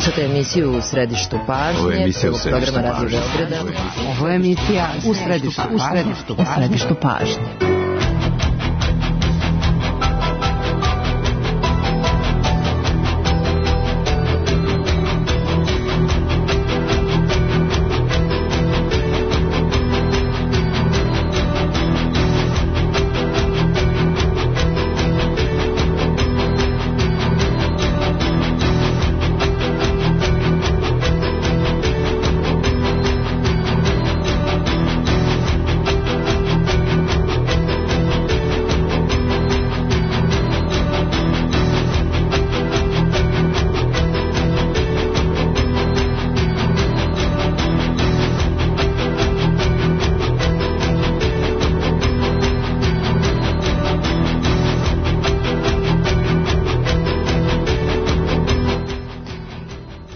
Slušate emisiju U središtu pažnje. Ovo je emisija U središtu pažnje. Ovo je emisija U središtu pažnje.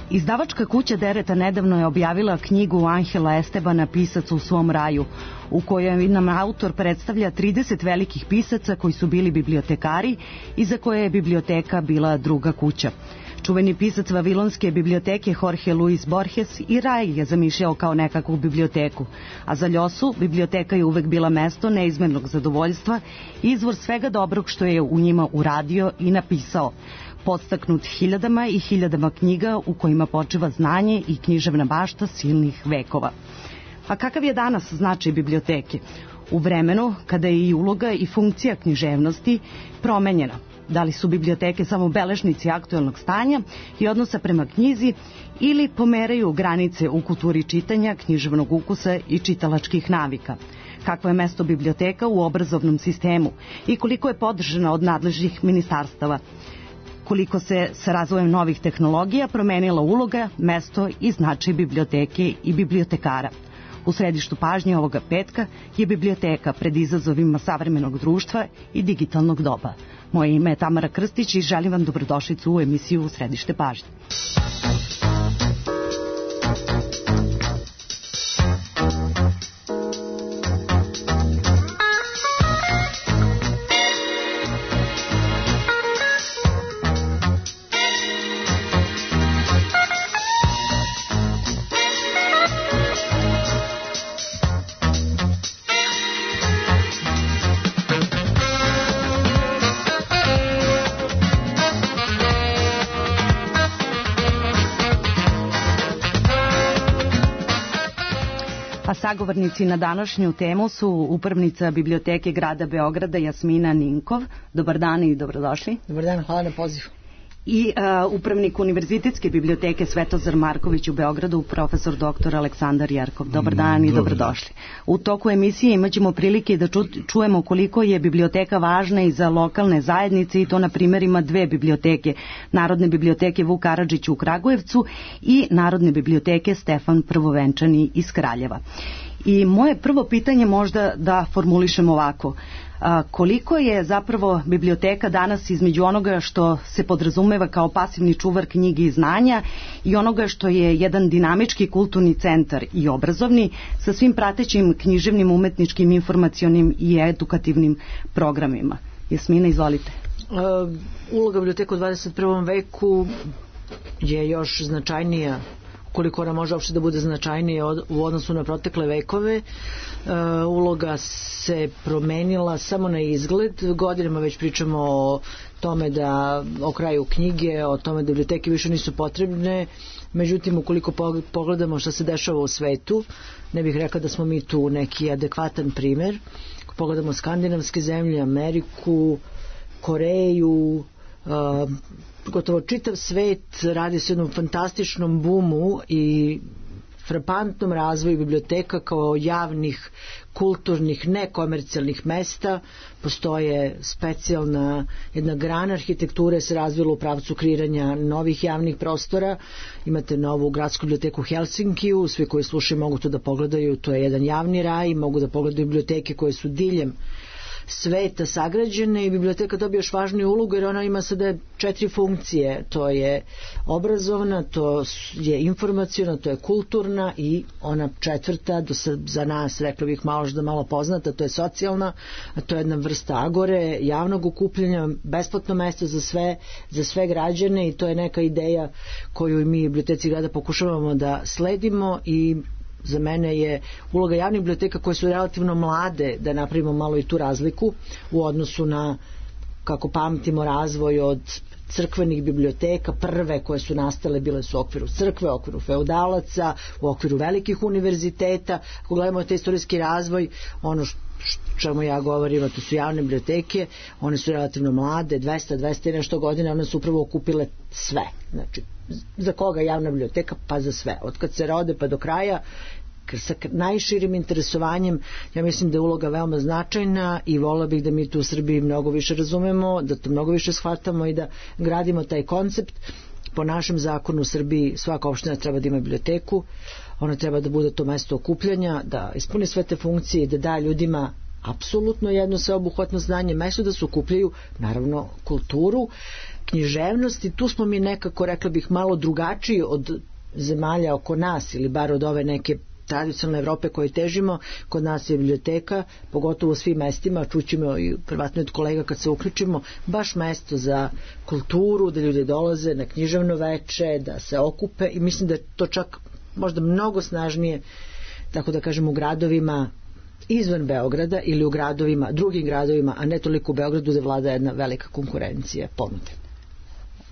Izdavačka kuća Dereta nedavno je objavila knjigu Anhela Estebana Pisac u svom raju, u kojoj nam autor predstavlja 30 velikih pisaca koji su bili bibliotekari i za koje je biblioteka bila druga kuća. Čuveni pisac Vavilonske biblioteke Jorge Luis Borges i raj je zamišljao kao nekakvu biblioteku, a za Ljosu biblioteka je uvek bila mesto neizmernog zadovoljstva i izvor svega dobrog što je u njima uradio i napisao, podstaknut hiljadama i hiljadama knjiga u kojima počiva znanje i književna bašta silnih vekova. A kakav je danas značaj biblioteke? U vremenu kada je i uloga i funkcija književnosti promenjena. Da li su biblioteke samo beležnici aktuelnog stanja i odnosa prema knjizi ili pomeraju granice u kulturi čitanja, književnog ukusa i čitalačkih navika? Kakvo je mesto biblioteka u obrazovnom sistemu i koliko je podržana od nadležnih ministarstava? Koliko se sa razvojem novih tehnologija promenila uloga, mesto i značaj biblioteke i bibliotekara? U središtu pažnje ovoga petka je biblioteka pred izazovima savremenog društva i digitalnog doba. Moje ime je Tamara Krstić i želim vam dobrodošlicu u emisiju U središte pažnje. Sagovornici na današnju temu su upravnica Biblioteke grada Beograda Jasmina Ninkov. Dobar dan i dobrodošli. Dobar dan, hvala na pozivu. I upravnik Univerzitetske biblioteke Svetozar Marković u Beogradu, profesor dr. Aleksandar Jerkov. Dobar dan i dobrodošli. U toku emisije imat ćemo prilike da čujemo koliko je biblioteka važna i za lokalne zajednice i to na primjerima dve biblioteke. Narodne biblioteke Vuk Karadžić u Kragujevcu i Narodne biblioteke Stefan Prvovenčani iz Kraljeva. I moje prvo pitanje možda da formulišem ovako. Koliko je zapravo biblioteka danas između onoga što se podrazumeva kao pasivni čuvar knjige i znanja i onoga što je jedan dinamički kulturni centar i obrazovni sa svim pratećim književnim, umetničkim, informacionim i edukativnim programima? Jasmina, izvolite. Uloga biblioteka u 21. veku je još značajnija, koliko ona može uopšte da bude značajnija u odnosu na protekle vekove. Uloga se promenila samo na izgled. Godinama već pričamo o tome o kraju knjige, o tome da biblioteke više nisu potrebne. Međutim, ukoliko pogledamo šta se dešava u svetu, ne bih rekla da smo mi tu neki adekvatan primer. Ako pogledamo skandinavske zemlje, Ameriku, Koreju, gotovo čitav svet radi se jednom fantastičnom bumu i frapantnom razvoju biblioteka kao javnih, kulturnih, nekomercijalnih mesta. Postoje specijalna jedna grana arhitekture se razvila u pravcu kreiranja novih javnih prostora. Imate novu gradsku biblioteku u Helsinkiju, svi koji slušaju mogu to da pogledaju, to je jedan javni raj, mogu da pogledaju biblioteke koje su diljem sveta sagrađene i biblioteka dobije još važniju ulogu jer ona ima sada 4 funkcije. To je obrazovna, to je informaciona, to je kulturna i ona 4. za nas, rekla bih malo poznata, to je socijalna, a to je jedna vrsta agore, javnog okupljanja, besplatno mesto za sve građane i to je neka ideja koju mi u Biblioteci grada pokušavamo da sledimo i za mene je uloga javnih biblioteka koje su relativno mlade da napravimo malo i tu razliku u odnosu na, kako pamtimo, razvoj od crkvenih biblioteka. Prve koje su nastale bile su u okviru crkve, u okviru feudalaca, u okviru velikih univerziteta. Ako gledamo taj istorijski razvoj, ono čemu ja govorim, to su javne biblioteke, one su relativno mlade, 200 i nešto godina, one su upravo okupile sve. Znači, za koga javna biblioteka? Pa za sve. Od kad se rode pa do kraja, sa najširim interesovanjem. Ja mislim da je uloga veoma značajna i volila bih da mi tu u Srbiji mnogo više razumemo, da to mnogo više shvatamo i da gradimo taj koncept. Po našem zakonu u Srbiji svaka opština treba da ima biblioteku, ona treba da bude to mesto okupljanja, da ispuni sve te funkcije i da da ljudima apsolutno jedno sveobuhvatno znanje, mesto da se okupljaju, naravno kulturu, književnost, i tu smo mi nekako, rekla bih, malo drugačiji od zemalja oko nas ili bar od ove neke tradicionalne Evrope koje težimo. Kod nas je biblioteka, pogotovo u svim mestima, čućemo i privatno od kolega kad se uključimo, baš mesto za kulturu, da ljudi dolaze na književno veče, da se okupe, i mislim da je to čak možda mnogo snažnije, tako da kažem, u gradovima izvan Beograda ili u gradovima, drugim gradovima, a ne toliko u Beogradu gde vlada jedna velika konkurencija ponude.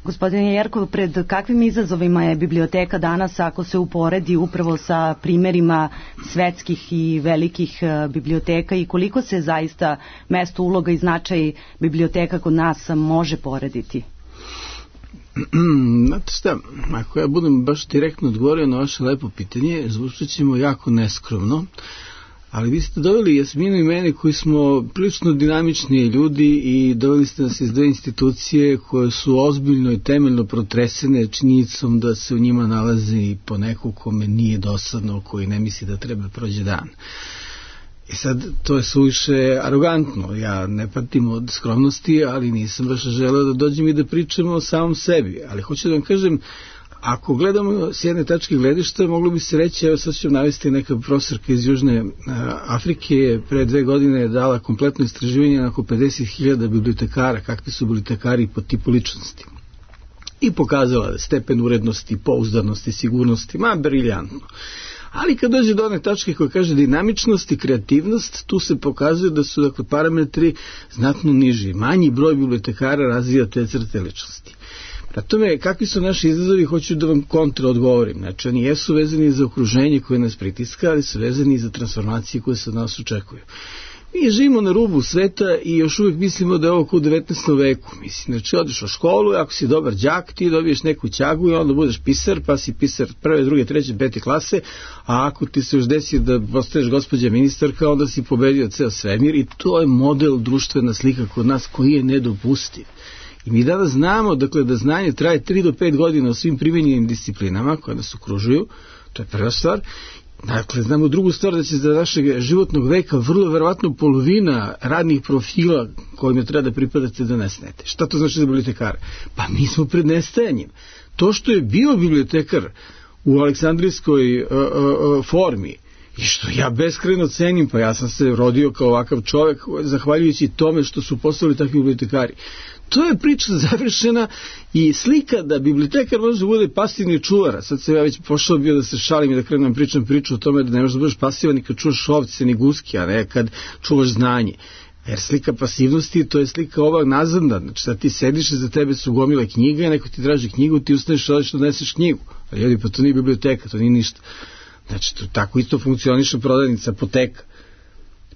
Gospodine Jerkov, pred kakvim izazovima je biblioteka danas ako se uporedi upravo sa primerima svetskih i velikih biblioteka i koliko se zaista mesto, uloga i značaj biblioteka kod nas može porediti? Znate šta, ako ja budem baš direktno odgovorio na vaše lepo pitanje, zvučat ćemo jako neskromno, ali vi ste doveli Jasminu i mene koji smo prilično dinamični ljudi i doveli ste nas iz 2 institucije koje su ozbiljno i temeljno protresene činjenicom da se u njima nalazi i po neko kome nije dosadno, koji ne misli da treba prođe dan. I sad, to je suviše arogantno. Ja ne patim od skromnosti, ali nisam baš želeo da dođem i da pričam o samom sebi. Ali hoću da vam kažem, ako gledamo s jedne tačke gledišta, moglo bi se reći, evo sad ću navesti, neka profesorka iz Južne Afrike pre 2 godine je dala kompletno istraživanje na oko 50.000 bibliotekara, kakvi su bibliotekari po tipu ličnosti. I pokazala da stepen urednosti, pouzdanosti, sigurnosti, briljantno. Ali kad dođe do one tačke koja kaže dinamičnost i kreativnost, tu se pokazuje da su dakle parametri znatno niži. Manji broj bibliotekara razvija te crte ličnosti. Na tome, kakvi su naši izazovi, hoću da vam kontra odgovorim. Znači, oni jesu vezani za okruženje koje nas pritiska, ali su vezani za transformacije koje se od nas očekuju. Mi živimo na rubu sveta i još uvijek mislimo da je ovo kao u 19. veku. Mislim, znači, odeš u školu, ako si dobar đak, ti dobiješ neku ćagu i onda budeš pisar, pa si pisar 1., 2., 3., 5. klase, a ako ti se još desi da postaješ gospođa ministarka, onda si pobedio ceo svemir i to je model, društvena slika kod nas koji je nedopustiv. I mi danas znamo, dakle, da znanje traje 3 do 5 godina u svim primenjenim disciplinama koje nas okružuju, to je prva stvar. Dakle, znamo drugu stvar, da će za našeg životnog veka vrlo verovatno polovina radnih profila kojima treba da pripadate da nestajete. Šta to znači za bibliotekara? Pa mi smo pred nestajanjem. To što je bio bibliotekar u aleksandrijskoj formi, i što ja beskrajno cenim, pa ja sam se rodio kao ovakav čovjek zahvaljujući tome što su postali takvi bibliotekari. To je priča završena i slika da bibliotekar može da bude pasivni čuvar. Sad sam ja već pošao bio da se šalim i da krenem priču o tome da ne možeš da budeš pasivan ni kad čuvaš ovce ni guske, a ne kad čuvaš znanje. Jer slika pasivnosti, to je slika ovak nazadna. Znači sad ti sediš i za tebe su gomile knjiga i neko ti traži knjigu, ti ustaneš i odeš da doneseš knjigu. Ali ljudi, pa to nije biblioteka, to nije ništa. Znači, to tako isto funkcioniše prodavnica, apoteka.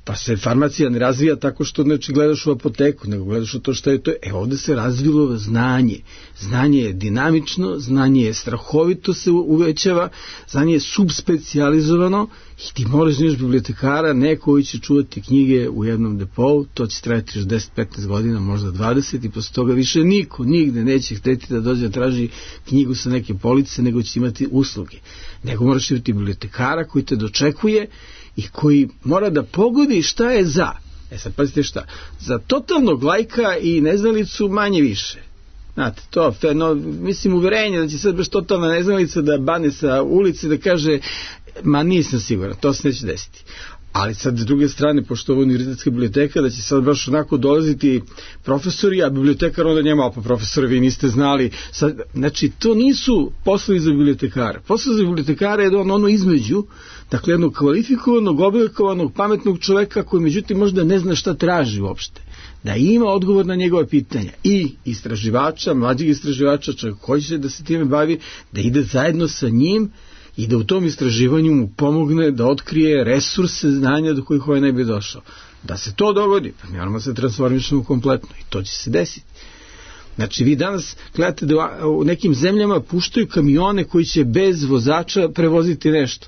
Pa se farmacija ne razvija tako što, znači, gledaš u apoteku, nego gledaš u to što je to. Ovde se razvilo znanje. Znanje je dinamično, znanje je strahovito se uvećava, znanje je subspecijalizovano i ti moraš da imaš bibliotekara, neko koji će čuvati knjige u jednom depou, to će trajati još 10-15 godina, možda 20, i posle toga više niko nigde neće hteti da dođe da traži knjigu sa neke police, nego će imati usluge. Nego moraš imati bibliotekara koji te dočekuje i koji mora da pogodi šta je za. Sad pazite šta, za totalnog lajka i neznalicu manje više. Znate, to, mislim, uverenje da će sad baš totalna neznalica da bane sa ulice, da kaže, ma nisam siguran, to se neće desiti. Ali sad s druge strane, pošto ovo je univerzitetska biblioteka, da će sad baš onako dolaziti profesori, a bibliotekar onda njema, pa profesori, vi niste znali. Sad, znači, to nisu poslovi za bibliotekara. Poslovi za bibliotekara je ono između, dakle, jednog kvalifikovanog, oblikovanog, pametnog čoveka koji međutim možda ne zna šta traži uopšte. Da ima odgovor na njegove pitanja. I istraživača, mlađeg istraživača, čovjek koji će da se time bavi, da ide zajedno sa njim i da u tom istraživanju mu pomogne da otkrije resurse znanja do kojih ovaj ne bi došao. Da se to dogodi, pa mi moramo se transformišemo kompletno i to će se desiti. Znači, vi danas gledate da u nekim zemljama puštaju kamione koji će bez vozača prevoziti nešto.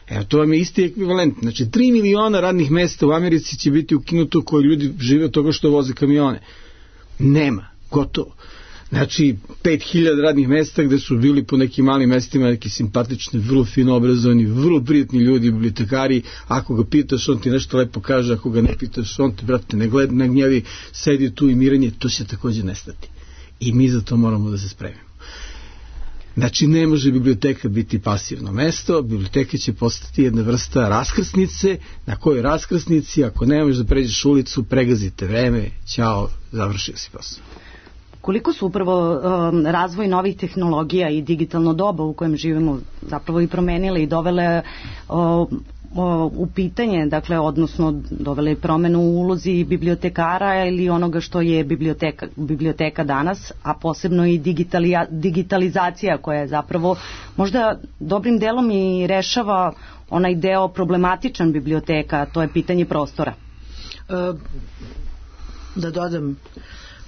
Evo, to vam je isti ekvivalent. Znači, 3 miliona radnih mesta u Americi će biti ukinuto koji ljudi žive od toga što voze kamione. Nema, gotovo. Znači, 5000 radnih mesta gde su bili po nekim malim mestima neki simpatični, vrlo fino obrazovani, vrlo prijatni ljudi, bibliotekari. Ako ga pitaš, on ti nešto lepo kaže, ako ga ne pitaš, on te, brate, ne gleda, ne gnjavi, sedi tu i mirenje, to će također nestati. I mi za to moramo da se spremimo. Znači, ne može biblioteka biti pasivno mesto, biblioteka će postati jedna vrsta raskrsnice, na kojoj raskrsnici, ako ne možeš da pređeš ulicu, pregazite vreme, ćao, završio si posao. Koliko su upravo razvoj novih tehnologija i digitalno doba u kojem živimo zapravo i promenile i dovele u pitanje, dakle, odnosno dovele promenu u ulozi bibliotekara ili onoga što je biblioteka danas, a posebno i digitalizacija koja je zapravo možda dobrim delom i rešava onaj deo problematičan biblioteka, a to je pitanje prostora. Da dodam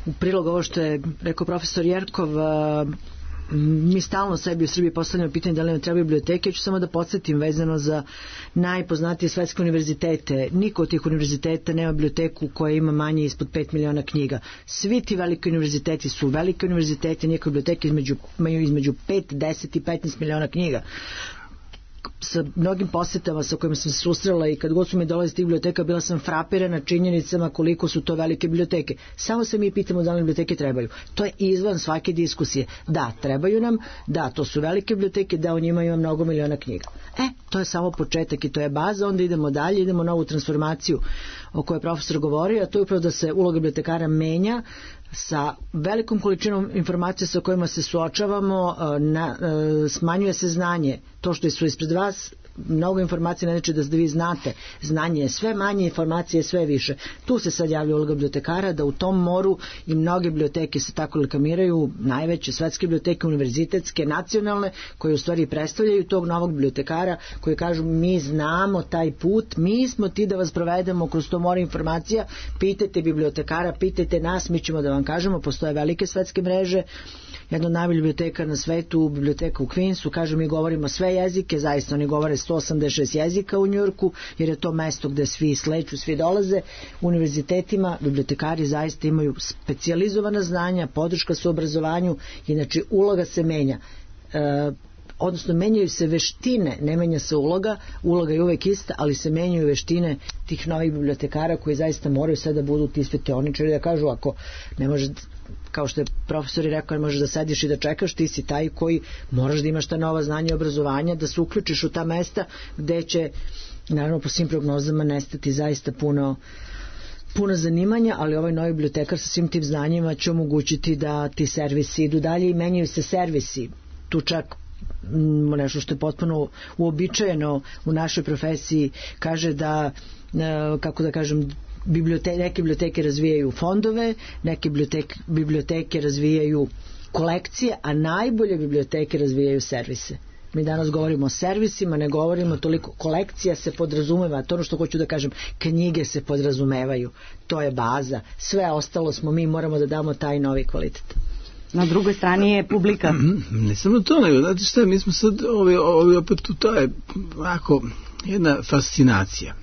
u prilog ovo što je rekao profesor Jerkov, mi stalno sebi u Srbiji postavljamo pitanje da li nam treba biblioteke. Ću samo da podsjetim vezano za najpoznatije svetske univerzitete. Niko od tih univerziteta nema biblioteku koja ima manje ispod 5 miliona knjiga. Svi ti veliki univerziteti su velike univerzitete, njihove biblioteke imaju između 5, 10 i 15 miliona knjiga. Sa mnogim posjetama sa kojima sam se susrela i kad god su mi dolazi iz tih biblioteka, bila sam frapirana činjenicama koliko su to velike biblioteke. Samo se mi pitamo da li biblioteke trebaju. To je izvan svake diskusije. Da, trebaju nam, da, to su velike biblioteke, da u njima ima mnogo miliona knjiga. To je samo početak i to je baza, onda idemo dalje, idemo na ovu transformaciju o kojoj je profesor govorio, a to je upravo da se uloga bibliotekara menja sa velikom količinom informacija sa kojima se suočavamo, smanjuje se znanje. To što su ispred vas, mnogo informacija ne znači da vi znate. Znanje je sve manje, informacije je sve više. Tu se sad javlja uloga bibliotekara, da u tom moru i mnoge biblioteke se tako reklamiraju, najveće svetske biblioteke, univerzitetske, nacionalne, koje u stvari predstavljaju tog novog bibliotekara, koji kažu mi znamo taj put, mi smo ti da vas provedemo kroz to more informacija, pitajte bibliotekara, pitajte nas, mi ćemo da vam kažemo. Postoje velike svetske mreže, jedna od najboljih biblioteka na svetu, biblioteka u Queensu, kažu mi govorimo sve jezike, zaista oni govore 186 jezika u Njujorku, jer je to mesto gde svi sleću, svi dolaze. U univerzitetima bibliotekari zaista imaju specijalizovana znanja, podrška su obrazovanju, inače uloga se menja. Odnosno menjaju se veštine, ne menja se uloga je uvek ista, ali se menjaju veštine tih novih bibliotekara koji zaista moraju sve da budu ti svetioničari, da kažu ako ne može, kao što je profesor i rekao, možeš da sediš i da čekaš, ti si taj koji moraš da imaš ta nova znanja i obrazovanja, da se uključiš u ta mesta gde će, naravno po svim prognozama, nestati zaista puno zanimanja, ali ovaj novi bibliotekar sa svim tim znanjima će omogućiti da ti servisi idu dalje i menjaju se servisi. Tu čak nešto što je potpuno uobičajeno u našoj profesiji, kaže da, kako da kažem, neke biblioteke razvijaju fondove, neke biblioteke razvijaju kolekcije, a najbolje biblioteke razvijaju servise. Mi danas govorimo o servisima, ne govorimo toliko, kolekcija se podrazumeva, to ono što hoću da kažem, knjige se podrazumevaju, to je baza, sve ostalo smo mi, moramo da damo taj novi kvalitet. Na drugoj strani je publika. Ne samo to, nego, znate šta, mi smo sad, opet to je ovako jedna fascinacija.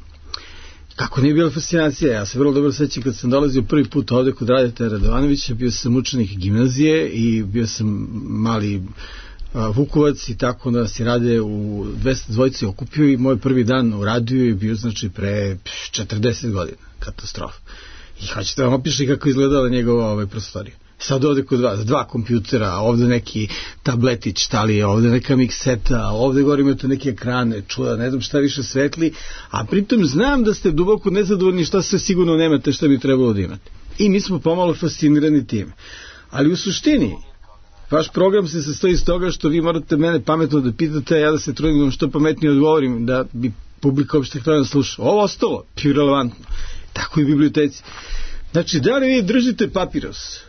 Kako nije bila fascinacija? Ja se vrlo dobro sećam kad sam dolazio prvi put ovde kod Radeta Radovanovića, bio sam učenik gimnazije i bio sam mali Vukovac i tako da se rade u 200 dvojice okupio i moj prvi dan u radiju je bio znači pre 40 godina, katastrofa. I hoćete vam opišiti kako izgledala njegova prostorija. Sad ovde kod vas 2 kompjutera, ovde neki tabletić, šta li je, ovde neka mikseta, ovde gore imate neke ekrane, čuda, ne znam šta više svetli, a pritom znam da ste duboko nezadovoljni šta sve sigurno nemate šta bi trebalo da imate. I mi smo pomalo fascinirani time. Ali u suštini, vaš program se sastoji iz toga što vi morate mene pametno da pitate, a ja da se trudim što pametnije odgovorim, da bi publika uopšte htjela da sluša. Ovo ostalo, irelevantno. Tako i u biblioteci. Znači, da li vi držite papiros?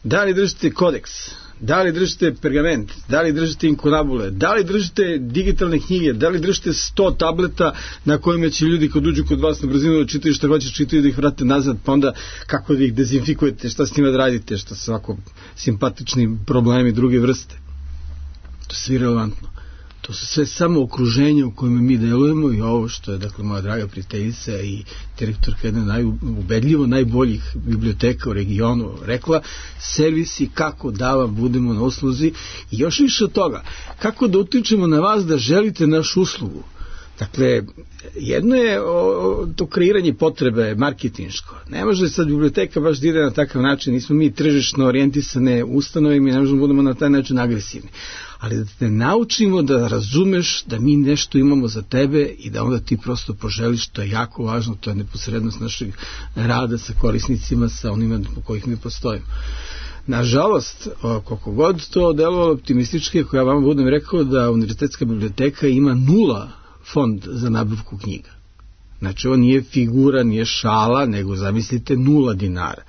Da li držite kodeks, da li držite pergament, da li držite inkunabule, da li držite digitalne knjige, da li držite 100 tableta na kojima će ljudi kad uđu kod vas na brzinu da čitaju šta hoće čitaju da ih vrate nazad, pa onda kako da ih dezinfikujete, šta s njima da radite, šta su ovako simpatični problemi druge vrste. To je sve relevantno. To su sve samo okruženje u kojem mi delujemo i ovo što je, dakle, moja draga prijateljica i direktorka jedne ubedljivo najboljih biblioteka u regionu rekla, servisi kako da vam budemo na usluzi i još više od toga, kako da utičemo na vas da želite našu uslugu. Dakle, jedno je to kreiranje potrebe marketinško. Ne može sad biblioteka baš da ide na takav način, nismo mi tržišno orijentisane ustanove i mi ne možemo da budemo na taj način agresivni. Ali da te naučimo da razumeš da mi nešto imamo za tebe i da onda ti prosto poželiš, to je jako važno, to je neposrednost našeg rada sa korisnicima, sa onima po kojih mi postojimo. Nažalost, koliko god to delovalo optimistički, ako ja vam budem rekao da univerzitetska biblioteka ima 0 fond za nabavku knjiga. Znači, ovo nije figura, nije šala, nego zamislite 0 dinara.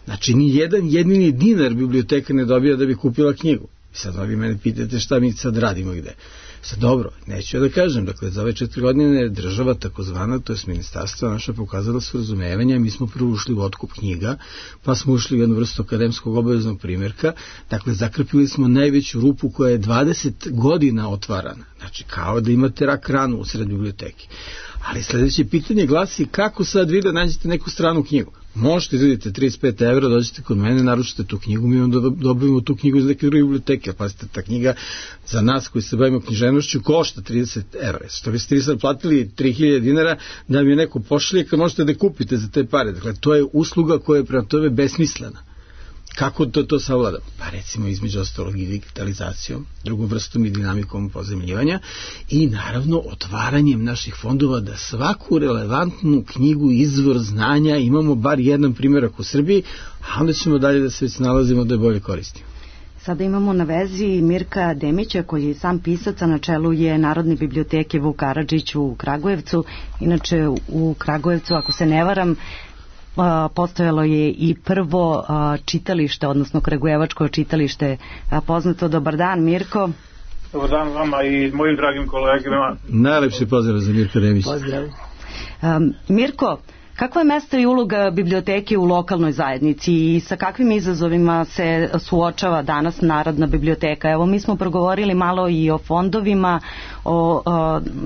Znači, ni jedan jedini dinar biblioteka ne dobija da bi kupila knjigu. I sad vi mene pitate šta mi sad radimo gde. Sad dobro, neću ja da kažem, dakle za ove 4 godine država takozvana, to je ministarstva naša pokazala su razumevanja, mi smo prvo ušli u otkup knjiga, pa smo ušli u jednu vrstu akademskog obaveznog primjerka, dakle zakrpili smo najveću rupu koja je 20 godina otvarana, znači kao da imate rak ranu u sred biblioteki. Ali sledeće pitanje glasi kako sad vi da nađete neku stranu knjigu. Možete izvedite 35 €, dođete kod mene, naručite tu knjigu, mi onda dobijemo tu knjigu iz neke druge biblioteke. Pazite, ta knjiga za nas koji se bavimo književnošću košta 30 €. Što biste vi sad platili 3000 dinara da mi je neko pošalje kad možete da kupite za te pare. Dakle, to je usluga koja je prema tome besmislena. Kako to savladamo? Pa recimo između ostalog i digitalizacijom, drugom vrstom i dinamikom pozemljivanja i naravno otvaranjem naših fondova da svaku relevantnu knjigu, izvor znanja imamo bar jedan primjerak u Srbiji, a onda ćemo dalje da se nalazimo da je bolje koristimo. Sada imamo na vezi Mirka Demića, koji je sam pisac, a na čelu je Narodne biblioteke Vuk Karadžić u Kragujevcu. Inače u Kragujevcu, ako se ne varam, postojalo je i prvo čitalište, odnosno kragujevačko čitalište. Poznato, dobar dan Mirko. Dobar dan vama i mojim dragim kolegama. Najlepši pozdrav za Mirka Demića. Pozdrav. Mirko, kakva je mesto i uloga biblioteke u lokalnoj zajednici i sa kakvim izazovima se suočava danas Narodna biblioteka? Evo, mi smo progovorili malo i o fondovima, o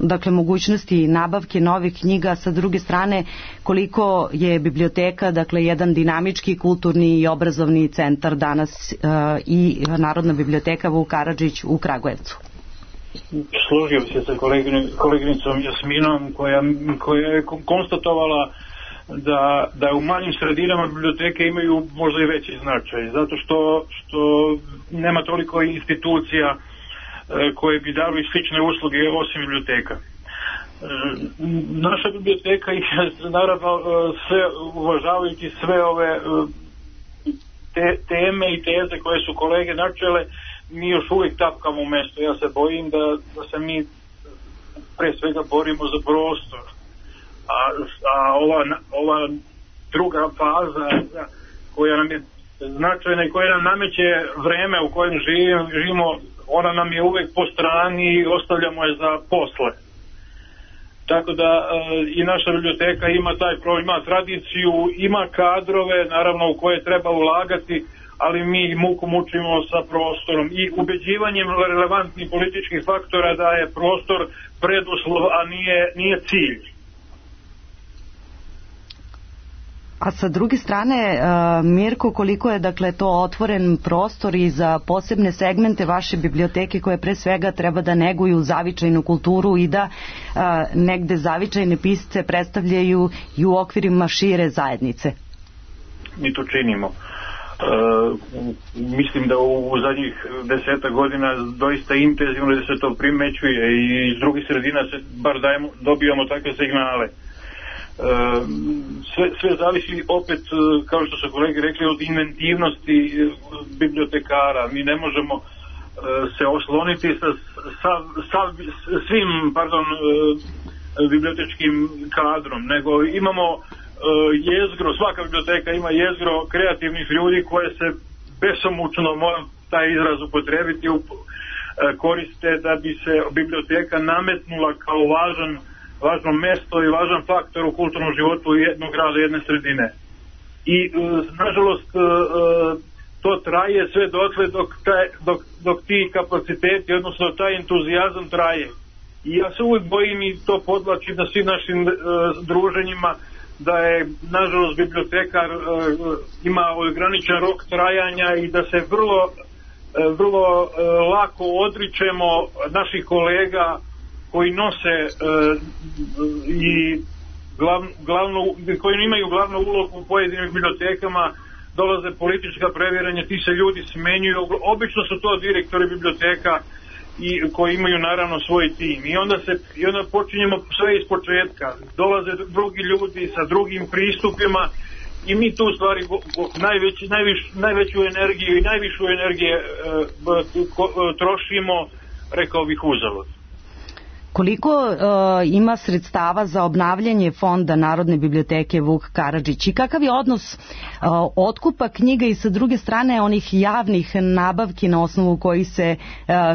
dakle, mogućnosti nabavke novih knjiga, sa druge strane koliko je biblioteka, dakle, jedan dinamički, kulturni i obrazovni centar danas i Narodna biblioteka Vuk Karadžić u Kragujevcu. Složio se sa koleginicom Jasminom koja je konstatovala da u manjim sredinama biblioteke imaju možda i veći značaj, zato što nema toliko institucija koje bi dali slične usluge osim biblioteka. Naša biblioteka je naravno sve uvažavajući sve ove teme i teze koje su kolege načele, mi još uvijek tapkamo u mestu. Ja se bojim da se mi pre svega borimo za prostor. A ova druga faza koja nam je značajna i koja nam nameće vreme u kojem živimo, ona nam je uvek po strani i ostavljamo je za posle. Tako da i naša biblioteka ima taj problem, ima tradiciju, ima kadrove, naravno u koje treba ulagati, ali mi muku mučimo sa prostorom i ubeđivanjem relevantnih političkih faktora da je prostor preduslov, a nije cilj. A sa druge strane, Mirko, koliko je dakle to otvoren prostor i za posebne segmente vaše biblioteke koje pre svega treba da neguju zavičajnu kulturu i da negde zavičajne pisce predstavljaju i u okvirima šire zajednice? Mi to činimo. Mislim da u zadnjih 10 godina doista intenzivno da se to primećuje i iz drugih sredina se bar dobijamo takve signale. Sve zavisi opet, kao što su kolege rekli, od inventivnosti bibliotekara. Mi ne možemo se osloniti sa svim bibliotečkim kadrom, nego imamo jezgro, svaka biblioteka ima jezgro kreativnih ljudi koje se besomučno, moram taj izraz upotrebiti, koriste da bi se biblioteka nametnula kao važno mesto i važan faktor u kulturnom životu jednog grada, jedne sredine. I nažalost to traje sve dotle dok ti kapaciteti, odnosno taj entuzijazam traje. I ja se uvijek bojim i to podvlačim na svim našim druženjima da je nažalost bibliotekar ima ograničen rok trajanja i da se vrlo lako odričemo naših kolega koji nose i koji imaju glavnu ulogu u pojedinim bibliotekama. Dolaze politička previranja, ti se ljudi smenjuju, obično su to direktori biblioteka i koji imaju naravno svoj tim i onda počinjemo sve iz početka, dolaze drugi ljudi sa drugim pristupima i mi tu u stvari najveću energiju i najvišu energije trošimo, rekao bih, uzalud. Koliko ima sredstava za obnavljanje fonda Narodne biblioteke Vuk Karadžić i kakav je odnos otkupa knjiga i sa druge strane onih javnih nabavki na osnovu koji se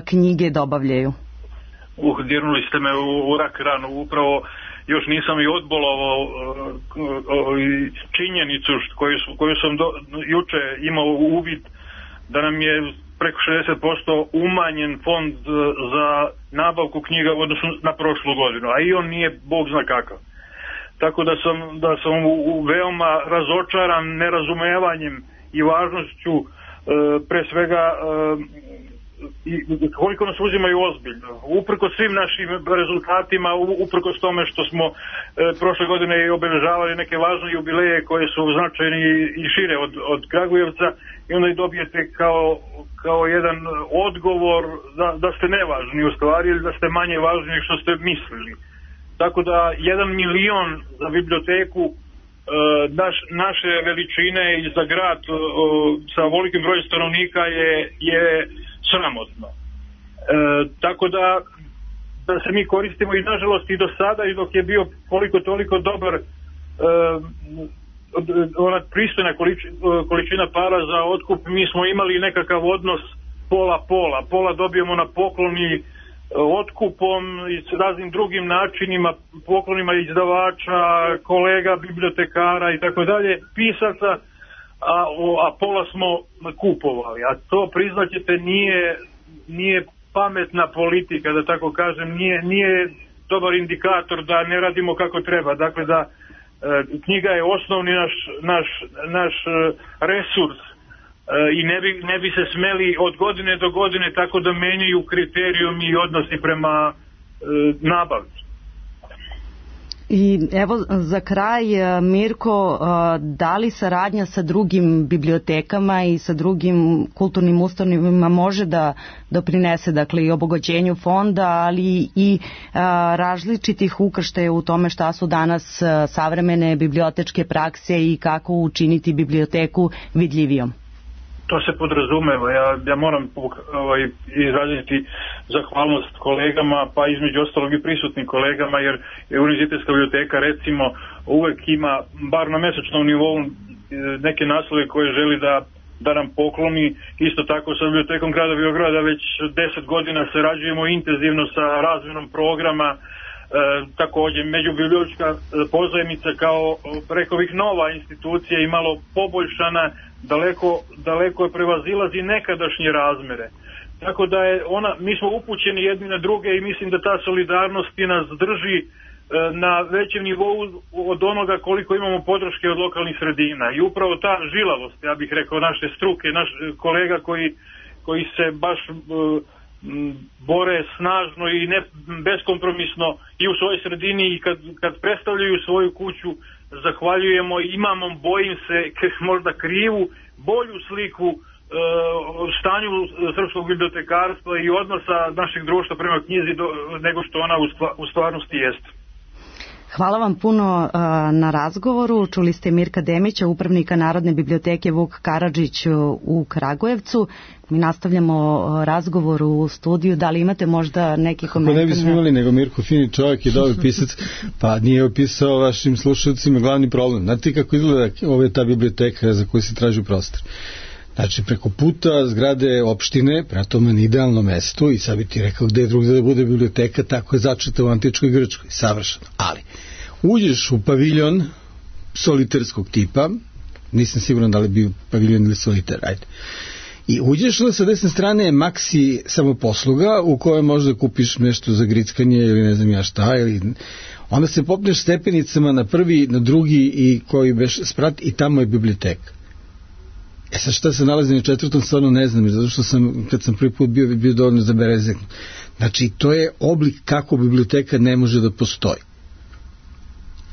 knjige dobavljaju? Dirnuli ste me u rak ranu, upravo još nisam i odbolovao činjenicu koju sam juče imao uvid da nam je preko 60% umanjen fond za nabavku knjiga u odnosu na prošlu godinu, a i on nije bog zna kakav. Tako da sam veoma razočaran nerazumevanjem i važnošću pre svega koliko nas uzimaju ozbiljno. Uprkos svim našim rezultatima, uprkos tome što smo prošle godine i obeležavali neke važne jubileje koje su značajni i šire od Kragujevca, i onda i dobijete kao jedan odgovor da ste nevažni u stvari ili da ste manje važni nego što ste mislili. Tako da 1 milion za biblioteku naše veličine i za grad sa velikim brojem stanovnika je sramotno. Tako da se mi koristimo i nažalost i do sada i dok je bio koliko toliko dobar ona pristojna količina para za otkup, mi smo imali nekakav odnos pola dobijemo na pokloni otkupom i s raznim drugim načinima, poklonima izdavača, kolega, bibliotekara i tako dalje, pisaca, a pola smo kupovali. A to, priznaćete, nije pametna politika, da tako kažem, nije dobar indikator da ne radimo kako treba. Dakle, da knjiga je osnovni naš resurs i ne bi se smeli od godine do godine tako da menjaju kriterijumi i odnosi prema nabavci. I evo za kraj, Mirko, da li saradnja sa drugim bibliotekama i sa drugim kulturnim ustanovama može da doprinese, dakle, i obogaćenju fonda, ali i različitih ukrštaja u tome šta su danas savremene bibliotečke prakse i kako učiniti biblioteku vidljivijom? To se podrazumeva. Ja moram izraziti zahvalnost kolegama, pa između ostalog i prisutnim kolegama, jer Univerzitetska biblioteka recimo uvek ima, bar na mesečnom nivou, neke naslove koje želi da nam pokloni. Isto tako sa bibliotekom grada Beograda već 10 godina sarađujemo intenzivno sa razmenom programa. Takođe, međubibliotečka pozajmica kao, rekao bih, nova institucija i malo poboljšana, daleko je prevazilazi nekadašnje razmere. Tako da mi smo upućeni jedni na druge i mislim da ta solidarnost nas drži na većem nivou od onoga koliko imamo podrške od lokalnih sredina. I upravo ta žilavost, ja bih rekao, naše struke, naš kolega koji se baš bore snažno i ne beskompromisno i u svojoj sredini, i kad predstavljaju svoju kuću, zahvaljujemo. Imamo, bojim se, možda krivu, bolju sliku stanju srpskog bibliotekarstva i odnosa našeg društva prema knjizi nego što ona u stvarnosti jeste. Hvala vam puno na razgovoru. Čuli ste Mirka Demića, upravnika Narodne biblioteke Vuk Karadžić u Kragujevcu. Mi nastavljamo razgovor u studiju. Da li imate možda neki komentar? Ne bismo imali, nego Mirko fini čovjek je dobar pisac, pa nije opisao vašim slušalcima glavni problem. Znate kako izgleda ta biblioteka za koju se traži prostor? Znači, preko puta zgrade opštine, prema tome na idealno mesto, i sad bi ti rekao gde je drugdje da bude biblioteka, tako je začeta u antičkoj Grčkoj, savršeno. Ali, uđeš u paviljon soliterskog tipa, nisam siguran da li bi paviljon ili soliter, ajde. I uđeš, sa desne strane je maksi samoposluga u kojoj možda kupiš nešto za grickanje ili ne znam ja šta, ili onda se popneš stepenicama na prvi, na drugi i koji beš sprat i tamo je biblioteka. Sad šta se nalazi na četvrtom, stvarno ne znam, zato što sam, kad sam prvi put bio dovoljno zaberezekno. Znači, to je oblik kako biblioteka ne može da postoji.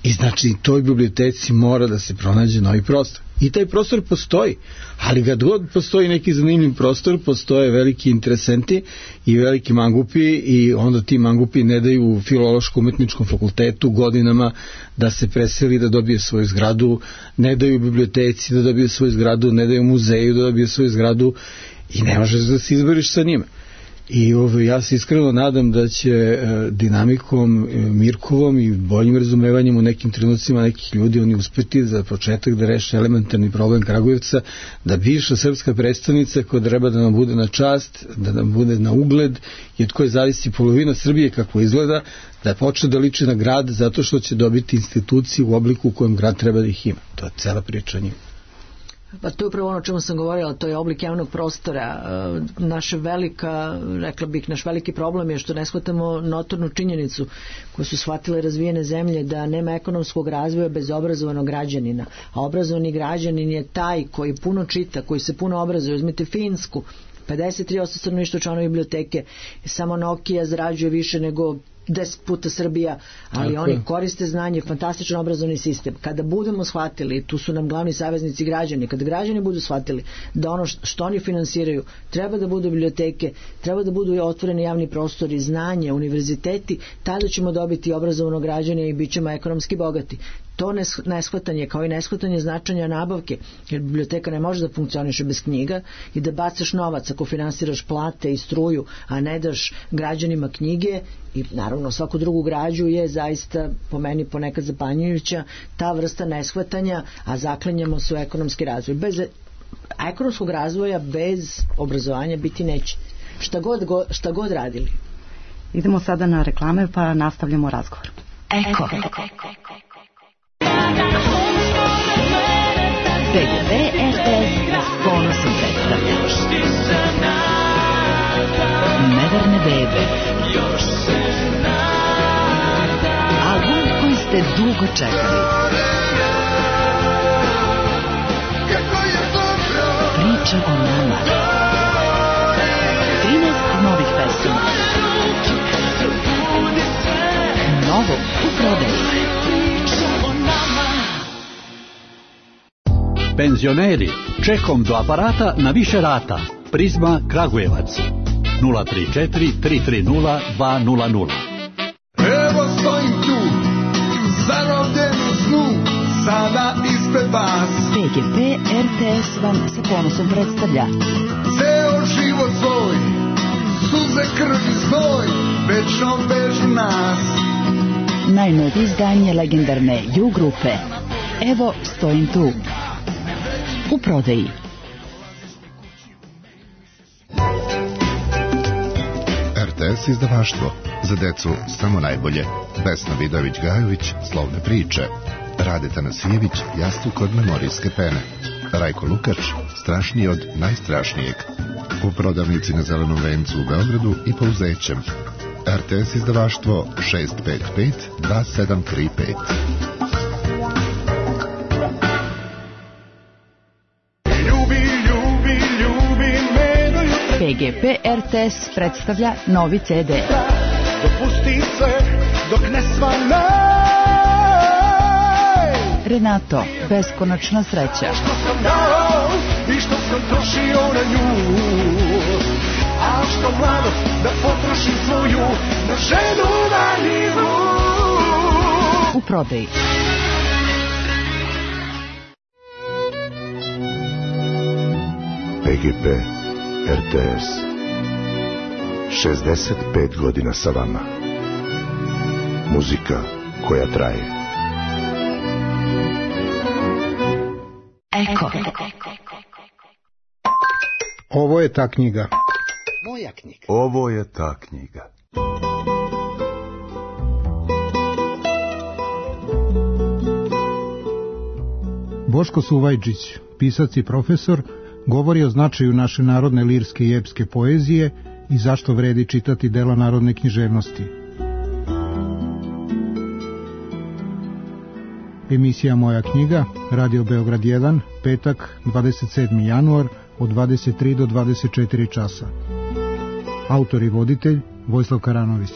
I znači, toj biblioteci mora da se pronađe novi prostor. I taj prostor postoji, ali kad god postoji neki zanimljiv prostor, postoje veliki interesenti i veliki mangupi, i onda ti mangupi ne daju Filološko-umetničkom fakultetu godinama da se preseli, da dobije svoju zgradu, ne daju biblioteci da dobije svoju zgradu, ne daju muzeju da dobije svoju zgradu, i ne možeš da se izboriš sa njima. I ja se iskreno nadam da će dinamikom Mirkovom i boljim razumevanjem u nekim trenucima nekih ljudi oni uspeti za početak da reše elementarni problem Kragujevca, da bivša srpska predstavnica koja treba da nam bude na čast, da nam bude na ugled i od koje zavisi polovina Srbije kako izgleda, da počne da liči na grad zato što će dobiti instituciju u obliku u kojem grad treba da ih ima. To je cela priča njima. Pa to je upravo ono o čemu sam govorila, to je oblik javnog prostora. Naš veliki problem je što ne shvatamo notornu činjenicu koju su shvatile razvijene zemlje, da nema ekonomskog razvoja bez obrazovanog građanina. A obrazovani građanin je taj koji puno čita, koji se puno obrazuje. Uzmite Finsku, 53% stanovništva članova biblioteke, samo Nokia zarađuje više nego 10 puta Srbija, ali oni koriste znanje, fantastičan obrazovni sistem. Kada budemo shvatili, tu su nam glavni saveznici građani, kada građani budu shvatili da ono što oni finansiraju treba da budu biblioteke, treba da budu otvoreni javni prostori, znanje, univerziteti, tada ćemo dobiti obrazovano građane i bit ćemo ekonomski bogati. To neshvatanje, kao i neshvatanje značanja nabavke, jer biblioteka ne može da funkcioniše bez knjiga, i da bacaš novac ako finansiraš plate i struju, a ne daš građanima knjige i naravno svaku drugu građu, je zaista po meni ponekad zapanjujuća ta vrsta neshvatanja, a zaklanjamo se u ekonomski razvoj. Bez ekonomskog razvoja, bez obrazovanja biti neće. Šta god radili. Idemo sada na reklame pa nastavljamo razgovor. Eko. BGP RTS ponosom predstavlja Neverne bebe, album koji ste dugo čekali, priča o nama, 13 novih pesama, novo u prodaju. Penzioneri, čekom do aparata na više rata. Prizma Kragujevac 034 330 200. Evo stojim tu, zarobljen u snu, sada ispred vas. BGP RTS vam sa ponosom predstavlja Ceo život svoj, suze, krv i znoj, večno vežu nas. najnovije izdanje legendarne U grupe. Evo stojim tu. U prodaji. RTS izdavaštvo. Za decu samo najbolje. Vesna Vidović-Gajović, Slovne priče. Rade Tanasijević, Jastuk od memorijske pene. Rajko Lukač, Strašniji od najstrašnijeg. U prodavnici na Zelenom vencu u Beogradu i Pouzećem. RTS izdavaštvo 655 2735. PGP RTS predstavlja novi CD. Dopusti sve dok ne svane. Renato, beskonačna sreća. Što sam dao i što sam trošio na nju. A što mladost da potrošim svoju na ženu valjivu. U prodaji. PGP RTS 65 godina sa vama. Muzika koja traje. Eko. Ovo je ta knjiga. Moja knjiga. Ovo je ta knjiga. Boško Suvajčić, pisac i profesor, govori o značaju naše narodne lirske i epske poezije i zašto vredi čitati dela narodne književnosti. Emisija Moja knjiga, Radio Beograd 1, petak, 27. januar, od 23 do 24 časa. Autor i voditelj Vojislav Karanović.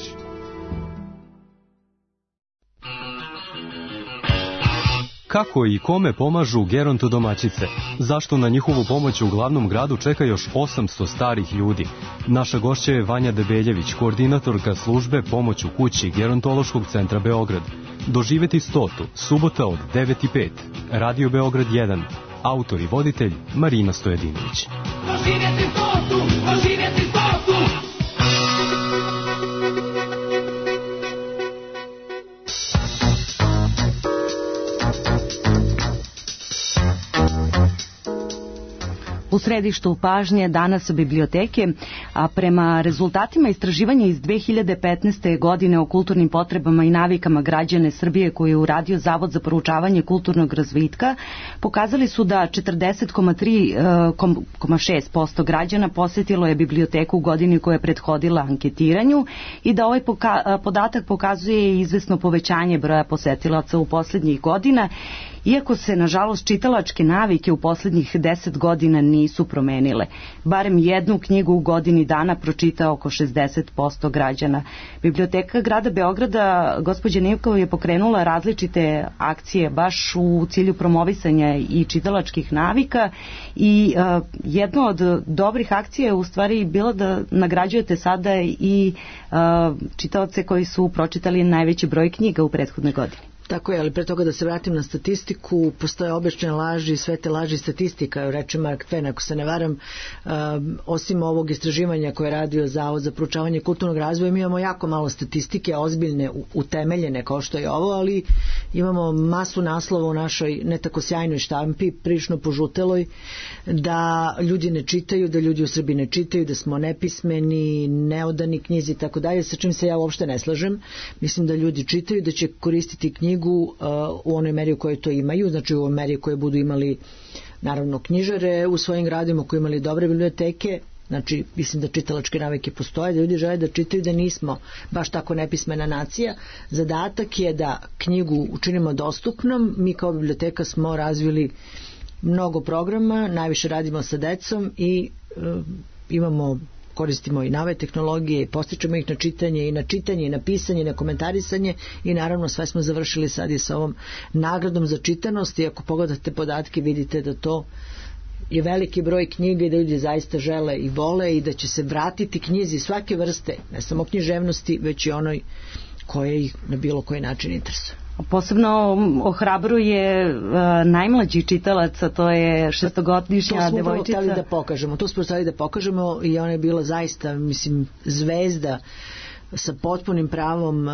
Kako i kome pomažu gerontodomaćice? Zašto na njihovu pomoć u glavnom gradu čeka još 800 starih ljudi? Naša gošća je Vanja Debeljević, koordinatorka službe Pomoć u kući Gerontološkog centra Beograd. Doživeti 100. subota od 9:05. Radio Beograd 1. Autor i voditelj Marina Stojedinović. Doživjeti 100. Doživjeti 100. U središtu pažnje danas biblioteke, a prema rezultatima istraživanja iz 2015. godine o kulturnim potrebama i navikama građane Srbije koje je uradio Zavod za proučavanje kulturnog razvitka, pokazali su da 40,6% građana posjetilo je biblioteku u godini koja je prethodila anketiranju i da ovaj podatak pokazuje izvesno povećanje broja posetilaca u posljednjih godina, iako se, nažalost, čitalačke navike u posljednjih 10 godina nisu promenile. Barem jednu knjigu u godini dana pročita oko 60% građana. Biblioteka grada Beograda, gospođa Nivkova, je pokrenula različite akcije baš u cilju promovisanja i čitalačkih navika i jedna od dobrih akcija je u stvari bila da nagrađujete sada i čitaoce koji su pročitali najveći broj knjiga u prethodnoj godini. Tako je, ali pre toga da se vratim na statistiku, postoje obične laži, sve te laži statistika, reče Mark Twain, ako se ne varam, osim ovog istraživanja koje je radio Zavod za proučavanje kulturnog razvoja, mi imamo jako malo statistike, ozbiljne, utemeljene kao što je ovo, ali imamo masu naslova u našoj ne tako sjajnoj štampi, prilično požuteloj, da ljudi ne čitaju, da ljudi u Srbiji ne čitaju, da smo nepismeni, neodani knjizi i tako dalje, sa čim se ja uopšte ne slažem. Mislim da ljudi čitaju, da će koristiti knjigu u onoj meri u kojoj to imaju, znači u onoj meri u kojoj budu imali naravno knjižare u svojim gradima, koji imali dobre biblioteke. Znači mislim da čitalačke navike postoje, da ljudi žele da čitaju, da nismo baš tako nepismena nacija. Zadatak je da knjigu učinimo dostupnom. Mi kao biblioteka smo razvili mnogo programa, najviše radimo sa decom i koristimo i nove tehnologije i postičemo ih na čitanje i na pisanje i na komentarisanje i naravno sve smo završili sad i sa ovom nagradom za čitanost i ako pogledate podatke vidite da to je veliki broj knjiga i da ljudi zaista žele i vole i da će se vratiti knjizi svake vrste, ne samo književnosti, već i onoj koje ih na bilo koji način interesuje. Posebno ohrabruje najmlađi čitalac, a to je 6-godišnja devojčica. To smo htjeli da pokažemo i ona je bila zaista, mislim, zvezda sa potpunim pravom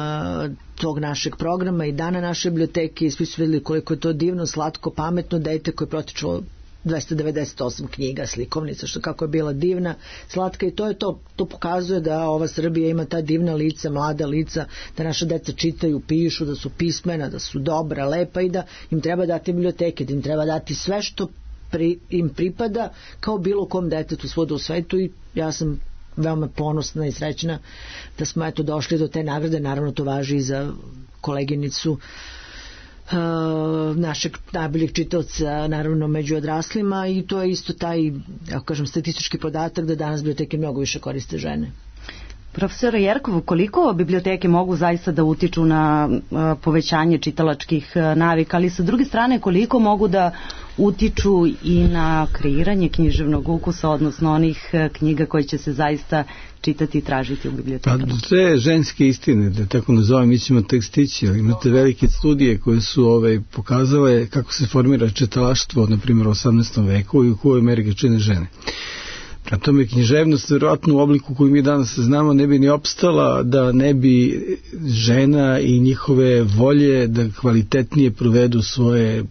tog našeg programa i dana naše biblioteke i svi su vidjeli koliko je to divno, slatko, pametno dete koje je protičilo 298 knjiga, slikovnica, što kako je bila divna, slatka i to je to. To pokazuje da ova Srbija ima ta divna lica, mlada lica, da naša deca čitaju, pišu, da su pismena, da su dobra, lepa i da im treba dati biblioteke, da im treba dati sve što im pripada kao bilo kom detetu svuda u svetu i ja sam veoma ponosna i srećna da smo eto došli do te nagrade. Naravno to važi i za koleginicu našeg najboljeg čitaoca, naravno među odraslima, i to je isto taj, ako kažem, statistički podatak da danas biblioteke mnogo više koriste žene. Profesor Jerkov, koliko biblioteke mogu zaista da utiču na povećanje čitalačkih navika, ali sa druge strane koliko mogu da utiču i na kreiranje književnog ukusa, odnosno onih knjiga koje će se zaista čitati i tražiti u bibliotekama? Pa te ženske istine, da tako nazovem, mi ćemo tek stići, ali imate velike studije koje su pokazale kako se formira čitalaštvo, na primjer u 18. veku i u kojoj meri ga čine žene. Na tome književnost, vjerojatno u obliku koju mi danas znamo, ne bi ni opstala da ne bi žena i njihove volje da kvalitetnije provedu svoje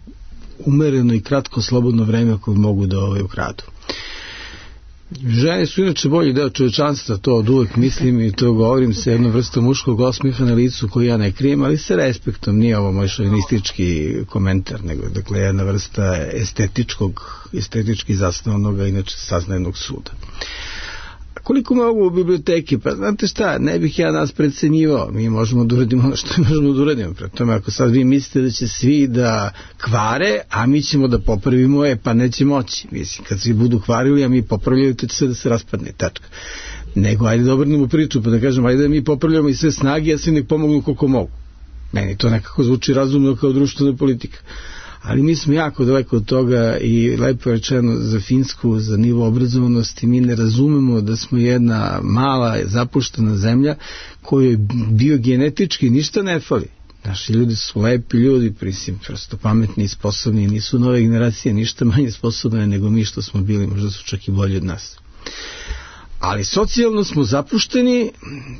umereno i kratko slobodno vreme koje mogu da ukradu. Žene su inače bolji deo čovečanstva, to od uvek mislim i to govorim sa jednom vrstom muškog osmiha na licu koju ja ne krijem, ali sa respektom, nije ovo moj šovinistički komentar, nego dakle jedna vrsta estetički zasnovanog, inače saznajnog suda. Koliko mogu u biblioteki? Pa znate šta, ne bih ja nas precenjivao, mi možemo da uradimo ono što možemo da uradimo. Pre tome, ako sad vi mislite da će svi da kvare, a mi ćemo da popravimo, pa neće moći. Mislim, kad svi budu kvarili, a mi popravljaju, to će sve da se raspadne, tačka. Nego, ajde da obrnemo priču, pa da kažem, ajde da mi popravljamo i sve snage, a svi nek pomognu koliko mogu. Meni to nekako zvuči razumno kao društvena politika. Ali mi smo jako daleko od toga i lepo rečeno za Finsku, za nivo obrazovanosti, mi ne razumemo da smo jedna mala zapuštena zemlja kojoj biogenetički ništa ne fali. Naši ljudi su lepi ljudi, prosto pametni i sposobni, nisu nove generacije ništa manje sposobne nego mi što smo bili, možda su čak i bolji od nas. Ali socijalno smo zapušteni,